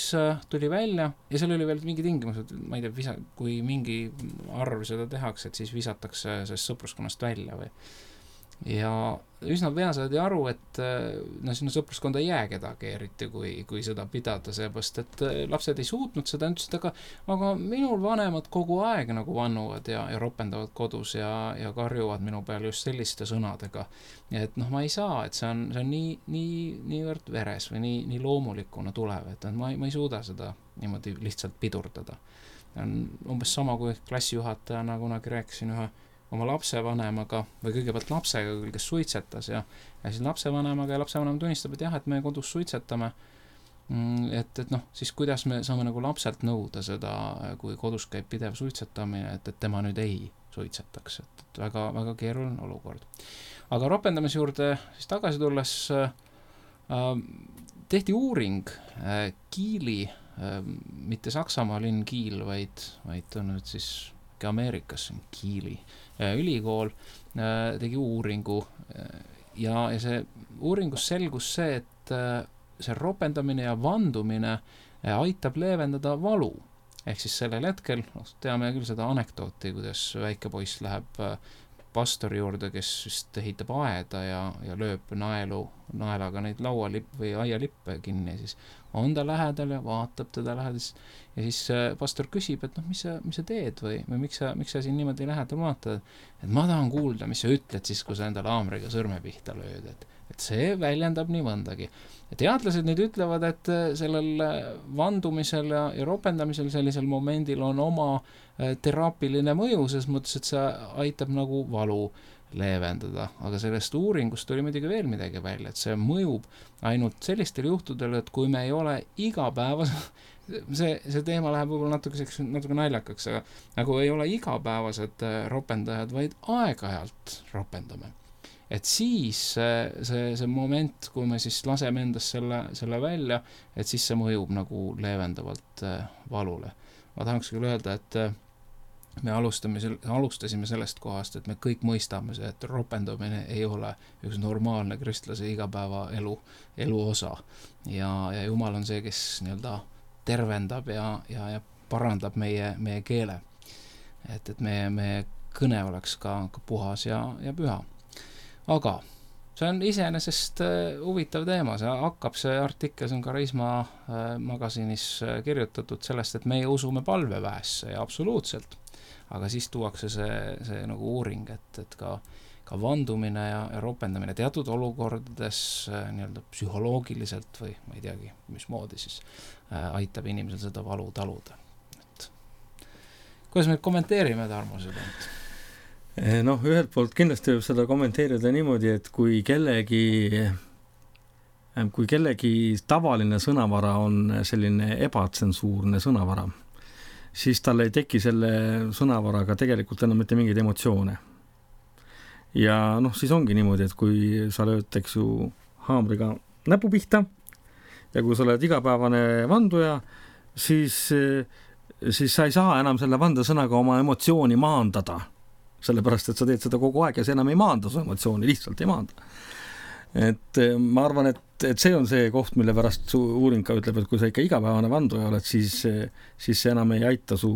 tuli välja ja seal oli veel mingi tingimus, et ma ei tea, visa, kui mingi arv seda tehakse, et siis visatakse sellest sõpruskonnast välja või. Ja üsna pea saadi aru, et no sinna sõpruskonda ei jää kedagi eriti, kui, kui seda pidada, seepärast, et lapsed ei suutnud seda, ütlesid, aga, aga minul vanemad kogu aeg nagu vannuvad ja, ja ropendavad kodus ja, ja karjuvad minu peal just selliste sõnadega. Ja et noh, ma ei saa, et see on, see on nii, nii, niivõrd veres või nii, nii loomulikuna tulev, et ma, ma ei suuda seda niimoodi lihtsalt pidurdada. On umbes sama, kui klassijuhatajana kunagi rääkisin ühe oma lapsevanemaga või kõigepealt lapsega, kes suitsetas ja, ja siis lapsevanemaga ja lapsevanem tunnistab, et jah, et me kodus suitsetame, et, et noh, siis kuidas me saame nagu lapselt nõuda seda, kui kodus käib pidev suitsetamine, et, et tema nüüd ei suitsetaks, et, et väga, väga keeruline olukord. Aga ropendamise juurde siis tagasi tulles äh, tehti uuring äh, Kiili, äh, mitte Saksamaa linn Kiil, vaid, vaid on nüüd siis Ameerikas, Kiili ülikool tegi uuringu ja, ja see uuringus selgus see, et see ropendamine ja vandumine aitab leevendada valu. Ehk siis sellel hetkel, no, teame küll seda anekdooti, kuidas väike poiss läheb pastori juurde, kes vist ehitab aeda ja, ja lööb naelu, naelaga neid laualipp või aialippe kinni ja siis on ta lähedal ja vaatab teda lähedal ja siis pastor küsib, et noh, mis sa, mis sa teed või, või miks sa, miks sa siin niimoodi lähedal vaatad, et ma tahan kuulda, mis sa ütled siis, kui sa endale haamriga sõrme pihta lööd, et, et see väljendab nii mõndagi. Ja teadlased nüüd ütlevad, et sellel vandumisel ja, ja ropendamisel sellisel momendil on oma teraapiline mõju, ses mõttes, et see aitab nagu valu leevendada, aga sellest uuringust oli muidugi veel midagi välja, et see mõjub ainult sellistel juhtudel, et kui me ei ole igapäevas, see, see teema läheb võib-olla natuke, natuke naljakaks, aga nagu ei ole igapäevased ropendajad, vaid aeg-ajalt ropendame. Et siis see, see, see moment, kui me siis laseme endast selle, selle välja, et siis see mõjub nagu leevendavalt valule. Ma tahaks küll öelda, et me alustame, alustasime sellest kohast, et me kõik mõistame see, et ropendamine ei ole üks normaalne kristlase igapäeva elu, elu osa. Ja, ja Jumal on see, kes nii-öelda tervendab ja, ja, ja parandab meie, meie keele. Et, et meie, meie kõne oleks ka, ka puhas ja, ja püha. Aga see on iseenesest huvitav teema, see hakkab see artikkel, see on Karisma magasiinis kirjutatud sellest, et meie usume palveväesse ja absoluutselt. Aga siis tuuakse see, see nagu uuring, et, et ka, ka vandumine ja, ja ropendamine teatud olukordades nii-öelda psühholoogiliselt või ma ei teagi, mismoodi siis äh, aitab inimesel seda valu taluda. Et, kuidas me kommenteerime, Tarmo, seda? Noh, ühelt poolt kindlasti võib seda kommenteerida niimoodi, et kui kellegi, kui kellegi tavaline sõnavara on selline ebatsensuurne sõnavara, siis tal ei teki selle sõnavaraga tegelikult enam mitte mingeid emotsioone. Ja noh, siis ongi niimoodi, et kui sa lööd, eks ju, haamriga näpu pihta ja kui sa oled igapäevane vanduja, siis, siis sa ei saa enam selle vandesõnaga oma emotsiooni maandada. Sellepärast, et sa teed seda kogu aeg ja see enam ei maanda su emotsiooni, lihtsalt ei maanda. et ma arvan, et, et see on see koht, mille pärast su uuring ka ütleb, et kui sa ikka igapäevane vanduja oled, siis, siis see enam ei aita su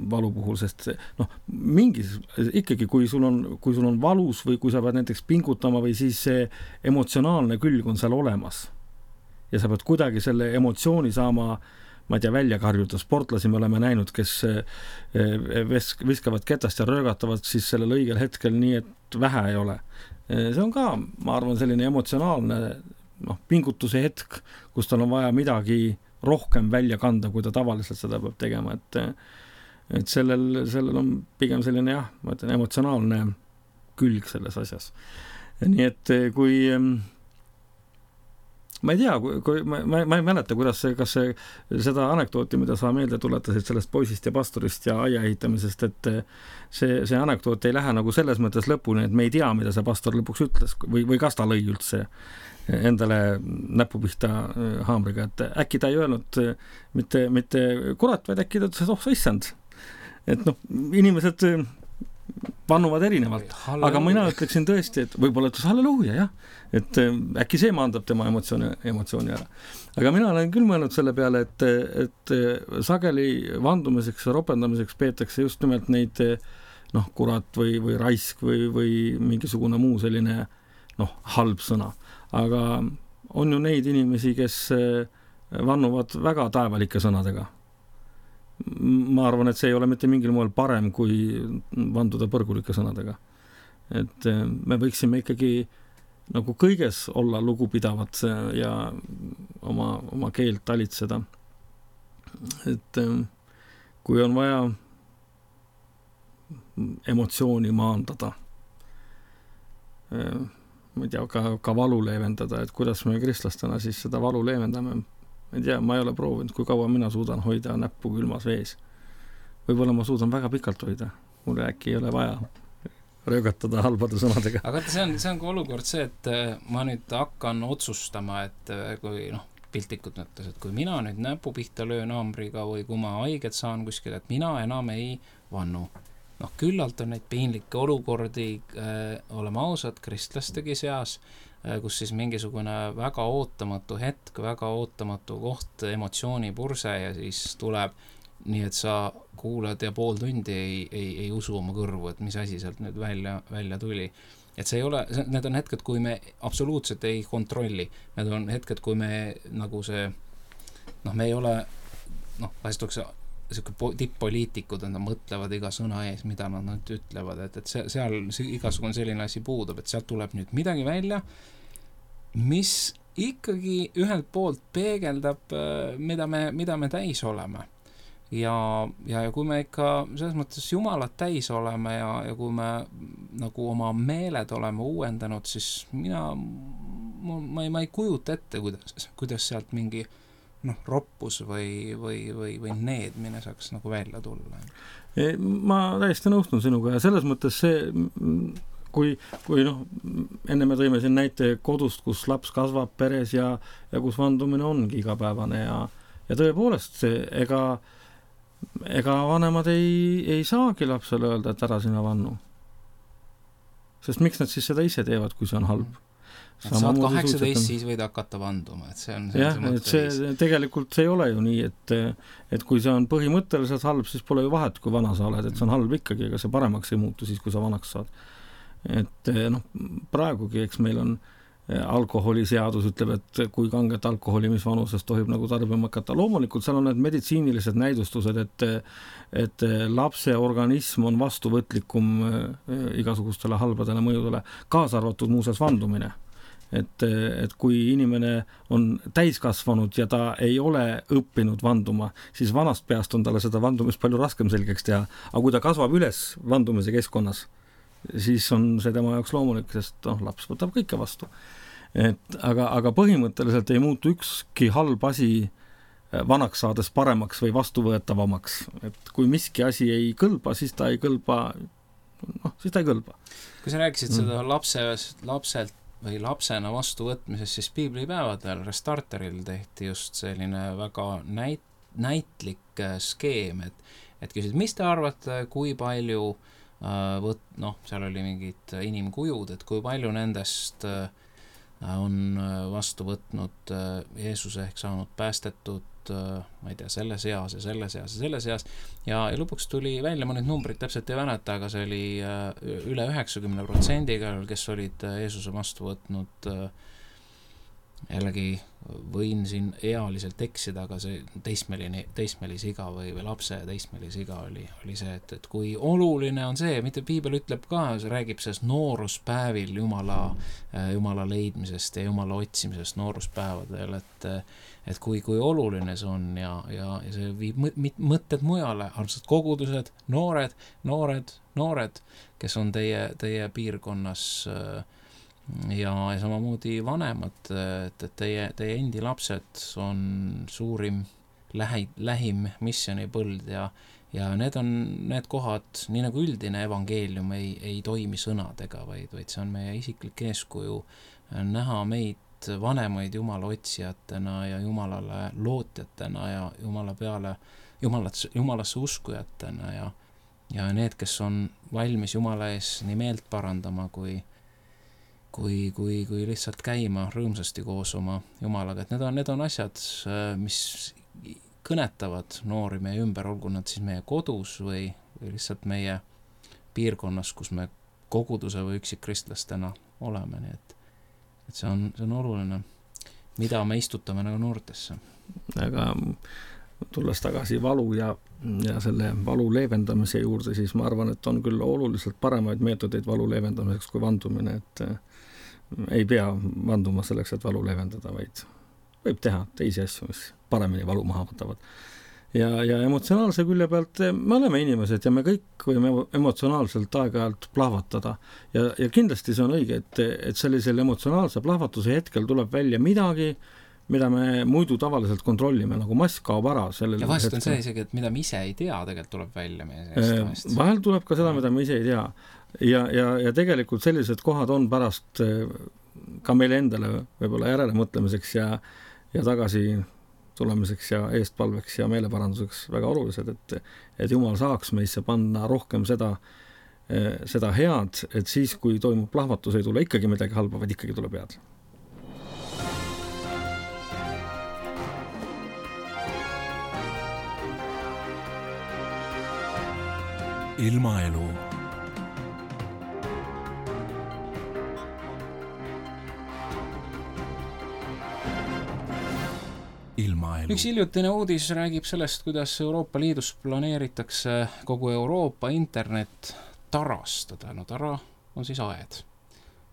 valu puhul, sest noh, mingis, ikkagi kui sul on, kui sul on valus või kui sa pead näiteks pingutama või siis see emotsionaalne külg on seal olemas ja sa pead kuidagi selle emotsiooni saama, ma ei tea, välja karjuda. Sportlasi me oleme näinud, kes viskavad ketast ja röögatavad siis sellel õigel hetkel nii, et vähe ei ole. See on ka, ma arvan, selline emotsionaalne noh, pingutuse hetk, kus tal on vaja midagi rohkem välja kanda, kui ta tavaliselt seda peab tegema. Et, et sellel, sellel on pigem selline jah, ma ütlen, emotsionaalne külg selles asjas. Nii et kui ma ei tea, kui, ma, ma ei mäleta, kuidas see, kas see, seda anekdooti, mida sa meelde tuletasid sellest poisist ja pastorist ja aia ehitamisest, et see, see anekdoot ei lähe nagu selles mõttes lõpuni, et me ei tea, mida see pastor lõpuks ütles või, või kas ta lõi üldse endale näpu pihta haamriga, et äkki ta ei öelnud mitte, mitte kurat, vaid äkki ta ütles, et oh, sa issand. Et noh, inimesed vannuvad erinevalt, aga mina ütleksin tõesti, et võib-olla ütles halleluuja, jah, et äkki see maandab tema emotsiooni, emotsiooni ära. Aga mina olen küll mõelnud selle peale, et, et sageli vandumiseks ja ropendamiseks peetakse just nimelt neid noh, kurat või, või raisk või, või mingisugune muu selline noh, halb sõna. Aga on ju neid inimesi, kes vannuvad väga taevalike sõnadega. Ma arvan, et see ei ole mitte mingil moel parem, kui vanduda põrgulike sõnadega. Et me võiksime ikkagi nagu kõiges olla lugupidavad ja oma, oma keelt talitseda. Et kui on vaja emotsiooni maandada, ma ei tea, ka, ka valu leevendada, et kuidas me kristlastena siis seda valu leevendame. Ma ei tea, ma ei ole proovinud, kui kaua mina suudan hoida näppu külmas vees. Võib-olla ma suudan väga pikalt hoida. Mulle äkki ei ole vaja röögatada halbade sõnadega. Aga see on, see on ka olukord see, et ma nüüd hakkan otsustama, et kui noh, piltikud mõttes, et kui mina nüüd näpu pihta löön haamriga või kui ma haiget saan kuskil, et mina enam ei vannu. Noh, küllalt on neid piinlikke olukordi, äh, oleme ausad, kristlastegi seas, kus siis mingisugune väga ootamatu hetk, väga ootamatu koht, emotsioonipurse ja siis tuleb nii, et sa kuulad ja pool tundi ei, ei, ei usu oma kõrvu, et mis asi sealt nüüd välja, välja tuli. Et see ei ole, need on hetked, kui me absoluutselt ei kontrolli. Need on hetked, kui me nagu see, noh, me ei ole, noh, vahest oleks selline tipp-poliitikud, nad mõtlevad iga sõna ees, mida nad nüüd ütlevad, et, et seal igasugune selline asi puudub, et sealt tuleb nüüd midagi välja, mis ikkagi ühelt poolt peegeldab, mida me, mida me täis oleme. Ja, ja, ja kui me ikka selles mõttes Jumalat täis oleme ja, ja kui me nagu oma meeled oleme uuendanud, siis mina, ma ei, ma ei kujuta ette, kuidas, kuidas sealt mingi noh, roppus või, või, või, või needmine saaks nagu välja tulla. Ma täiesti nõustun sinuga ja selles mõttes see, kui, kui noh, enne me tõime siin näite kodust, kus laps kasvab peres ja, ja kus vandumine ongi igapäevane ja, ja tõepoolest see, ega, ega vanemad ei, ei saagi lapsele öelda, et ära sina vannu. Sest miks nad siis seda ise teevad, kui see on halb? Et saad kaheksateist, siis võid hakata vanduma. Et see on jah, et see tegelikult see ei ole ju nii, et, et kui see on põhimõtteliselt halb, siis pole ju vahet, kui vana sa oled, et see on halb ikkagi, ega see paremaks ei muutu siis, kui sa vanaks saad. Et noh, praegugi, eks meil on alkoholiseadus ütleb, et kui kanget alkoholi, mis vanuses tohib nagu tarbima hakata. Loomulikult seal on need meditsiinilised näidustused, et, et lapse organism on vastuvõtlikum igasugustele halbadele mõjudele, kaasa arvatud muuseas vandumine. Et, et kui inimene on täiskasvanud ja ta ei ole õppinud vanduma, siis vanast peast on talle seda vandumist palju raskem selgeks teha. Aga kui ta kasvab üles vandumise keskkonnas, siis on see tema jaoks loomulik, sest noh, laps võtab kõike vastu. Et, aga, aga põhimõtteliselt ei muutu ükski halb asi vanaks saades paremaks või vastuvõetavamaks. Et kui miski asi ei kõlba, siis ta ei kõlba, noh, siis ta ei kõlba. Kui sa rääkisid mm. seda lapse, lapselt või lapsena vastuvõtmisest, siis piiblipäevadel Restarteril tehti just selline väga näit, näitlik skeem, et, et küsid, mis te arvate, kui palju äh, võt, noh, seal oli mingid inimkujud, et kui palju nendest äh, on vastu võtnud Jeesuse ehk saanud päästetud, ma ei tea, selles eas ja selles eas ja selles eas ja, ja lõpuks tuli välja, ma nüüd numbrid täpselt ei mäleta, aga see oli üle üheksakümne protsendiga, kes olid Jeesuse vastu võtnud. Jällegi võin siin ealiselt eksida, aga see teismeline, teismelisiga või, või lapse teismelisiga oli, oli see, et, et kui oluline on see, mitte piibel ütleb ka, see räägib sellest nooruspäevil Jumala, Jumala leidmisest ja Jumala otsimisest nooruspäevadel, et, et kui, kui oluline see on ja, ja, ja see viib mõtted mujale, armsad kogudused, noored, noored, noored, kes on teie, teie piirkonnas ja, ja samamoodi vanemad, et, et teie, teie endi lapsed on suurim lähi, lähim missionipõld ja, ja need on need kohad, nii nagu üldine evangeelium ei, ei toimi sõnadega, vaid, vaid see on meie isiklik eeskuju näha meid vanemaid Jumala otsijatena ja Jumalale lootjatena ja Jumala peale, Jumalat, Jumalasse uskujatena ja, ja need, kes on valmis Jumala ees nii meelt parandama kui Kui, kui, kui lihtsalt käima rõõmsasti koos oma Jumalaga, et need on, need on asjad, mis kõnetavad noori meie ümber, olgu nad siis meie kodus või, või lihtsalt meie piirkonnas, kus me koguduse või üksikristlastena oleme, nii et, et see on, see on oluline, mida me istutame nagu noortesse. Aga tulles tagasi valu ja, ja selle valu leevendamise juurde, siis ma arvan, et on küll oluliselt paremaid meetodeid valu leevendamiseks kui vandumine, et ei pea vanduma selleks, et valu leevendada, vaid võib teha teisi asju, mis paremini valu maha võtavad. Ja, ja emotsionaalse külje pealt me oleme inimesed ja me kõik võime emotsionaalselt aeg-ajalt plahvatada. Ja, ja kindlasti see on õige, et, et sellisel emotsionaalse plahvatuse hetkel tuleb välja midagi, mida me muidu tavaliselt kontrollime, nagu mask kaob ära. Ja vahest on see isegi, et mida me ise ei tea, tegelikult tuleb välja meie seest. Vahel tuleb ka seda, mida me ise ei tea. Ja, ja, ja tegelikult sellised kohad on pärast ka meile endale võib-olla järele mõtlemiseks ja, ja tagasi tulemiseks ja eestpalveks ja meeleparanduseks väga olulised, et, et Jumal saaks meisse panna rohkem seda, seda head, et siis, kui toimub plahvatus, ei tule ikkagi midagi halba, vaid ikkagi tuleb head. Ilmaelu. Ilmaelu. Üks hiljutine uudis räägib sellest, kuidas Euroopa Liidus planeeritakse kogu Euroopa internet tarastada. No tara on siis aed.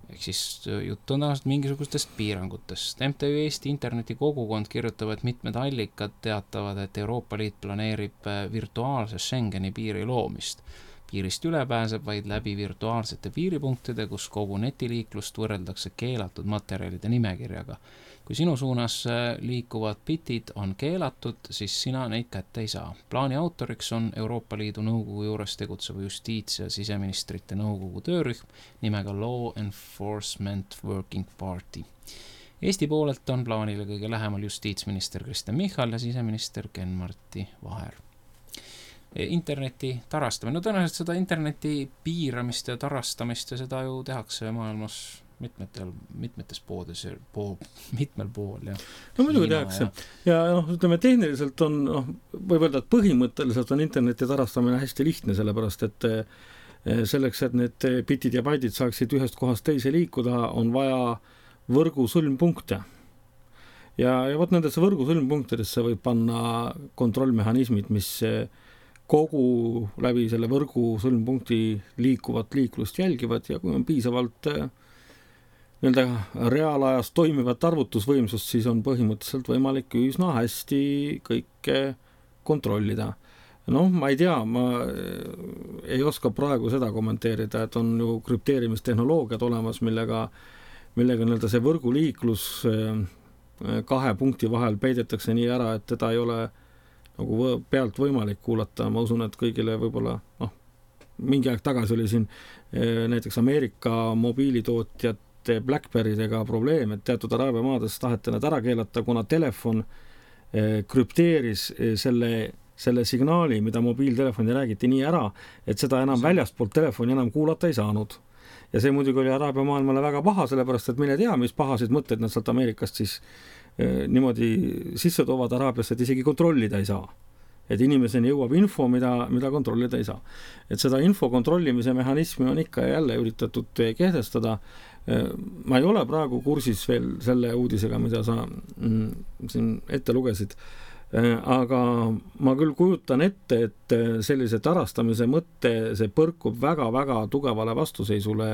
Ehk siis jutt on tavaliselt mingisugustest piirangutest. M T V Eesti interneti kogukond kirjutab, et mitmed allikad teatavad, et Euroopa Liit planeerib virtuaalse Schengeni piiri loomist. Piirist üle pääseb vaid läbi virtuaalsete piiripunktide, kus kogu netiliiklust võrreldakse keelatud materjalide nimekirjaga. Kui sinu suunas liikuvad bitid on keelatud, siis sina neid kätte ei saa. Plaani autoriks on Euroopa Liidu nõukogu juures tegutseva justiits- ja siseministrite nõukogu töörühm nimega Law Enforcement Working Party. Eesti poolelt on plaanile kõige lähemal justiitsminister Kristen Michal ja siseminister Ken-Marti Vaher. Interneti tarastamine. No tõenäoliselt seda interneti piiramist ja tarastamist ja seda ju tehakse maailmas mitmetel, mitmetes poodes, pool, mitmel pool. Ja no muidugi tehakse. Ja, ja noh, ütleme, tehniliselt on, noh, võib öelda, et põhimõtteliselt on interneti tarastamine hästi lihtne, sellepärast, et selleks, et need bitid ja baidid saaksid ühest kohast teise liikuda, on vaja võrgu sõlmpunkte. Ja, ja võt nendesse võrgu sõlmpunktidesse võib panna kontrollmehhanismid, mis kogu läbi selle võrgu sõlmpunkti liikuvat liiklust jälgivad ja kui on piisavalt nii-öelda reaalajas toimivat arvutusvõimsust, siis on põhimõtteliselt võimalik üsna hästi kõike kontrollida. Noh, ma ei tea, ma ei oska praegu seda kommenteerida, et on ju krüpteerimistehnoloogiad olemas, millega, millega nii-öelda see võrguliiklus kahe punkti vahel peidetakse nii ära, et teda ei ole nagu pealt võimalik kuulata. Ma usun, et kõigile võib-olla, noh, mingi aeg tagasi oli siin näiteks Ameerika mobiilitootjate BlackBerrydega probleem, et teatud Araabia maades taheti nad ära keelata, kuna telefon krüpteeris selle, selle signaali, mida mobiiltelefoni räägiti nii ära, et seda enam väljastpoolt telefoni enam kuulata ei saanud. ja see muidugi oli Araabia maailmale väga paha, sellepärast et mine tea, mis pahasid mõtteid nad sealt Ameerikast siis eh, niimoodi sisse toovad Araabiasse, et isegi kontrollida ei saa. Et inimeseni jõuab info, mida, mida kontrollida ei saa. Et seda info kontrollimise mehhanismi on ikka jälle üritatud kehtestada. Ma ei ole praegu kursis veel selle uudisega, mida sa mm, siin ette lugesid, aga ma küll kujutan ette, et sellise tarastamise mõtte see põrkub väga-väga tugevale vastuseisule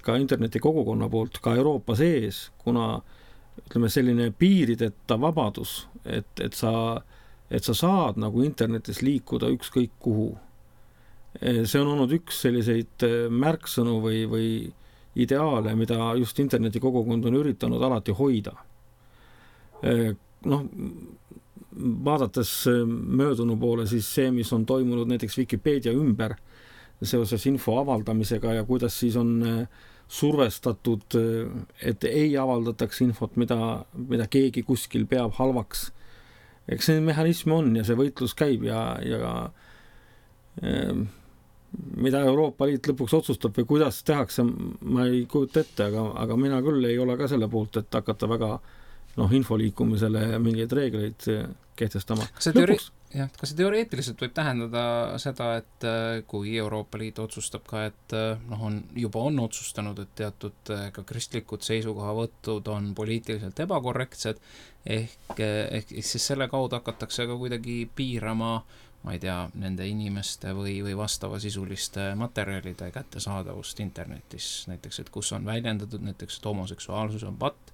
ka interneti kogukonna poolt, ka Euroopa sees, kuna ütleme, selline piirideta vabadus, et, et sa et sa saad nagu internetis liikuda ükskõik kuhu. See on olnud üks selliseid märksõnu või, või ideaale, mida just interneti kogukond on üritanud alati hoida. Noh, vaadates möödunu poole, siis see, mis on toimunud näiteks Wikipedia ümber seoses info avaldamisega ja kuidas siis on survestatud, et ei avaldataks infot, mida, mida keegi kuskil peab halvaks. Eks see mehhanism on ja see võitlus käib ja, ja eh, mida Euroopa Liit lõpuks otsustab või kuidas tehakse, ma ei kujuta ette, aga, aga mina küll ei ole ka selle poolt, et hakata väga noh, infoliikumisele mingeid reegleid kehtestama. See teori... jah, kas see teoreetiliselt võib tähendada seda, et kui Euroopa Liit otsustab ka, et noh, on, juba on otsustanud, et teatud ka kristlikud seisukohavõtud on poliitiliselt ebakorrektsed, ehk, ehk siis selle kaudu hakatakse ka kuidagi piirama, ma ei tea, nende inimeste või, või vastava sisuliste materjalide kättesaadavust internetis, näiteks, et kus on väljendatud näiteks, et homoseksuaalsus on patt,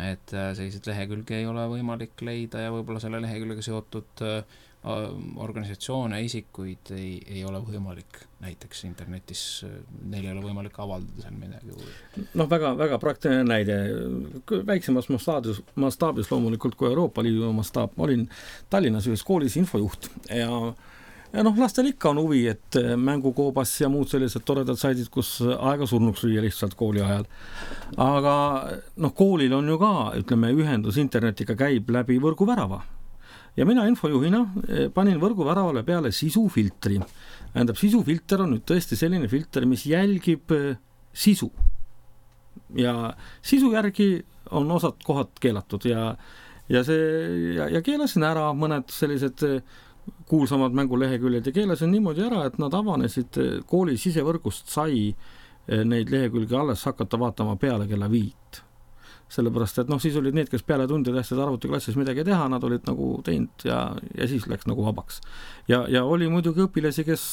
et sellised lehekülge ei ole võimalik leida ja võib-olla selle lehekülgega seotud organisatsioone, isikuid ei, ei ole võimalik näiteks internetis, neil ei ole võimalik avaldada seal midagi. Noh, väga, väga praktiline näide. Väiksemas mastaabis, mastaabis loomulikult kui Euroopa Liidu mastaab. Ma olin Tallinnas ühes koolis infojuht ja Ja noh, lastel ikka on huvi, et mängukoobas ja muud sellised toredad saidid, kus aega surnuks lüüa lihtsalt kooli ajal. Aga noh, koolil on ju ka, ütleme, ühendus internetiga käib läbi võrguvärava. Ja mina infojuhina panin võrguväravale peale sisufiltri. Tähendab, sisufilter on nüüd tõesti selline filter, mis jälgib sisu. Ja sisu järgi on osad kohad keelatud ja, ja, see, ja, ja keelasin ära mõned sellised kuulsamad mänguleheküljed ja keelasin niimoodi ära, et nad avanesid kooli sisevõrgust sai neid lehekülge alles hakata vaatama peale kella viit. Sellepärast, et noh, siis olid need, kes peale tundi tähtsed arvutiklassis midagi teha, nad olid nagu teinud ja, ja siis läks nagu vabaks. Ja, ja oli muidugi õpilasi, kes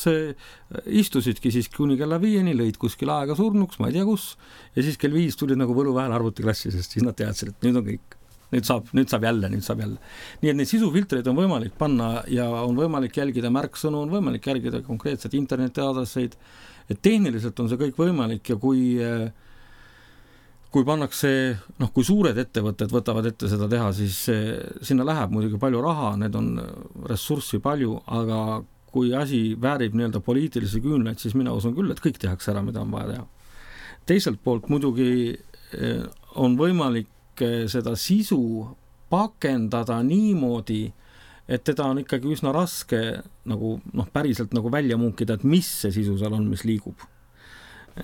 istusidki siis kuni kella viieni, lõid kuskil aega surnuks, ma ei tea kus, ja siis kell viis tulid nagu võlu vähel arvutiklassi, sest siis nad teadsid, et nüüd on kõik. Nüüd saab, nüüd saab jälle, nüüd saab jälle. Nii et neid sisufiltreid on võimalik panna ja on võimalik jälgida märksõnu, on võimalik jälgida konkreetset internetiadresseid, et tehniliselt on see kõik võimalik ja kui, kui pannakse, noh, kui suured ettevõtted võtavad ette seda teha, siis sinna läheb muidugi palju raha, need on ressurssi palju, aga kui asi väärib nii-öelda poliitilisi küünlaid, siis mina usun küll, et kõik tehakse ära, mida on vaja teha. Teiselt poolt muidugi on võimalik seda sisu pakendada niimoodi, et teda on ikkagi üsna raske nagu, noh, päriselt nagu välja munkida, et mis see sisu seal on, mis liigub.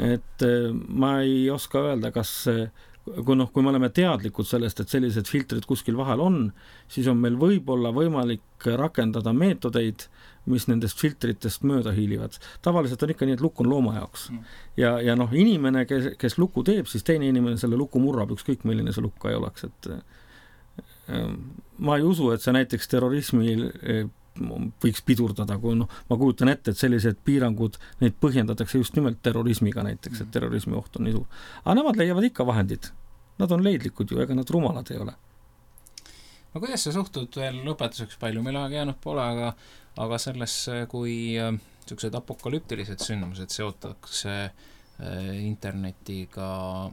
Et ma ei oska öelda, kas kui, noh, kui me oleme teadlikud sellest, et sellised filtrid kuskil vahel on, siis on meil võib-olla võimalik rakendada meetodeid, mis nendest filtritest mööda hiilivad. Tavaliselt on ikka nii, et lukk on looma jaoks. Ja, ja noh, inimene, kes, kes luku teeb, siis teine inimene selle luku murrab, ükskõik milline see lukka ei oleks. Et, ma ei usu, et see näiteks terrorismi võiks pidurdada, kui noh, ma kujutan ette, et sellised piirangud, neid põhjendatakse just nimelt terrorismiga näiteks, et terrorismi oht on nii suur. Aga nemad leiavad ikka vahendid. Nad on leidlikud ju, ega nad rumalad ei ole. No kuidas sa suhtud veel lõpetuseks, palju meil aega jäänud pole, aga, aga selles, kui sellised apokalüptilised sündmused seotakse internetiga,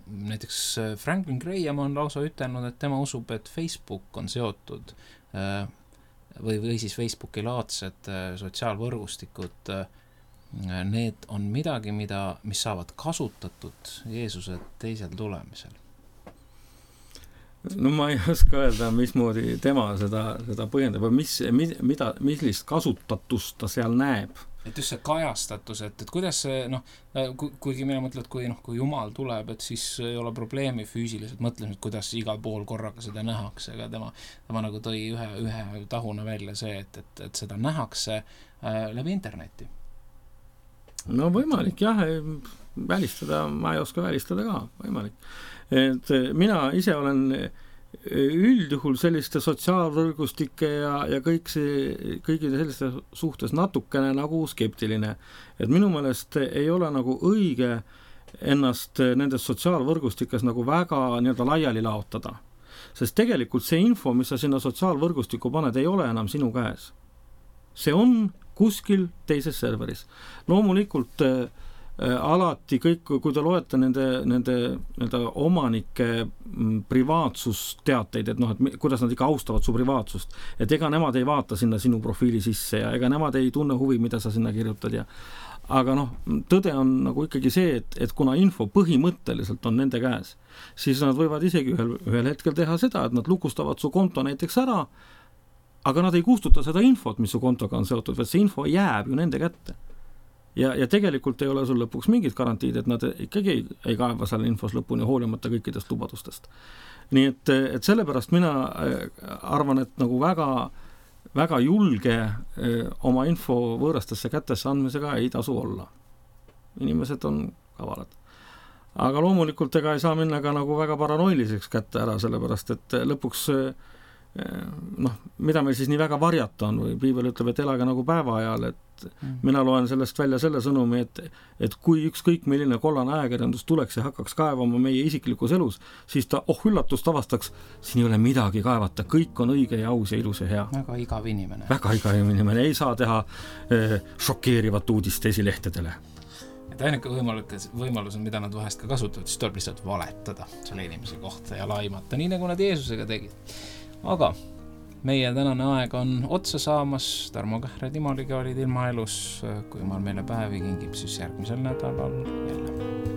näiteks Franklin Graham on lausa ütelnud, et tema usub, et Facebook on seotud või, või siis Facebooki laadsed sotsiaalvõrgustikud, need on midagi, mida, mis saavad kasutatud Jeesuse teisel tulemisel. No ma ei oska öelda, mismoodi tema seda, seda põhjendab või mis, mida, millist kasutatust ta seal näeb. et just see kajastatus, et, et kuidas see, noh, ku, kuigi mina mõtlen, et kui, noh, kui Jumal tuleb, et siis ei ole probleemi füüsiliselt mõtlemised, kuidas igal pool korraga seda nähakse, aga tema, tema nagu tõi ühe, ühe tahuna välja see, et, et, et seda nähakse äh, läbi interneti. No võimalik, jah, välistada, ma ei oska välistada ka, võimalik. Et mina ise olen üldjuhul selliste sotsiaalvõrgustike ja, ja kõik see, kõigide selliste suhtes natukene nagu skeptiline. Et minu meelest ei ole nagu õige ennast nendes sotsiaalvõrgustikes nagu väga nii-öelda laiali laotada. Sest tegelikult see info, mis sa sinna sotsiaalvõrgustikku paned, ei ole enam sinu käes. See on kuskil teises serveris. Loomulikult äh, alati kõik, kui te loete nende, nende, nende omanike privaatsusteateid, et noh, et kuidas nad ikka austavad su privaatsust, et ega nemad ei vaata sinna sinu profiili sisse ja ega nemad ei tunne huvi, mida sa sinna kirjutad ja aga noh, tõde on nagu ikkagi see, et, et kuna info põhimõtteliselt on nende käes, siis nad võivad isegi ühel, ühel hetkel teha seda, et nad lukustavad su konto näiteks ära, aga nad ei kustuta seda infot, mis su kontoga on seotud, vaid see info jääb ju nende kätte. Ja, ja tegelikult ei ole sul lõpuks mingid garantiid, et nad ikkagi ei, ei kaeva selle infos lõpuni hoolimata kõikidest lubadustest. Nii et, et sellepärast mina arvan, et nagu väga, väga julge oma info võõrastesse kätesse andmisega ei tasu olla. Inimesed on kavalad. Aga loomulikult ega ei saa minna ka nagu väga paranoiliseks kätte ära, sellepärast et lõpuks noh, mida meil siis nii väga varjata on või piibel ütleb, et elage nagu päeva ajal, et mm. mina loen sellest välja selle sõnumi, et, et kui ükskõik milline kollane ajakirjandus tuleks ja hakkaks kaevama meie isiklikus elus, siis ta, oh üllatust avastaks, siin ei ole midagi kaevata, kõik on õige ja aus ja ilus ja hea. Väga igav inimene. Väga igav inimene, ei saa teha eh, šokeerivat uudist esilehtedele. Et ainuke võimalus, võimalus on, mida nad vahest ka kasutavad, siis tuleb lihtsalt valetada selle inimese kohta ja laimata, nii nagu nad Jeesusega tegid. Aga meie tänane aeg on otsa saamas, Tarmo Kähre Timoliga olid ilmaelus, kui Jumal meile päevi kingib, siis järgmisel nädalal jälle.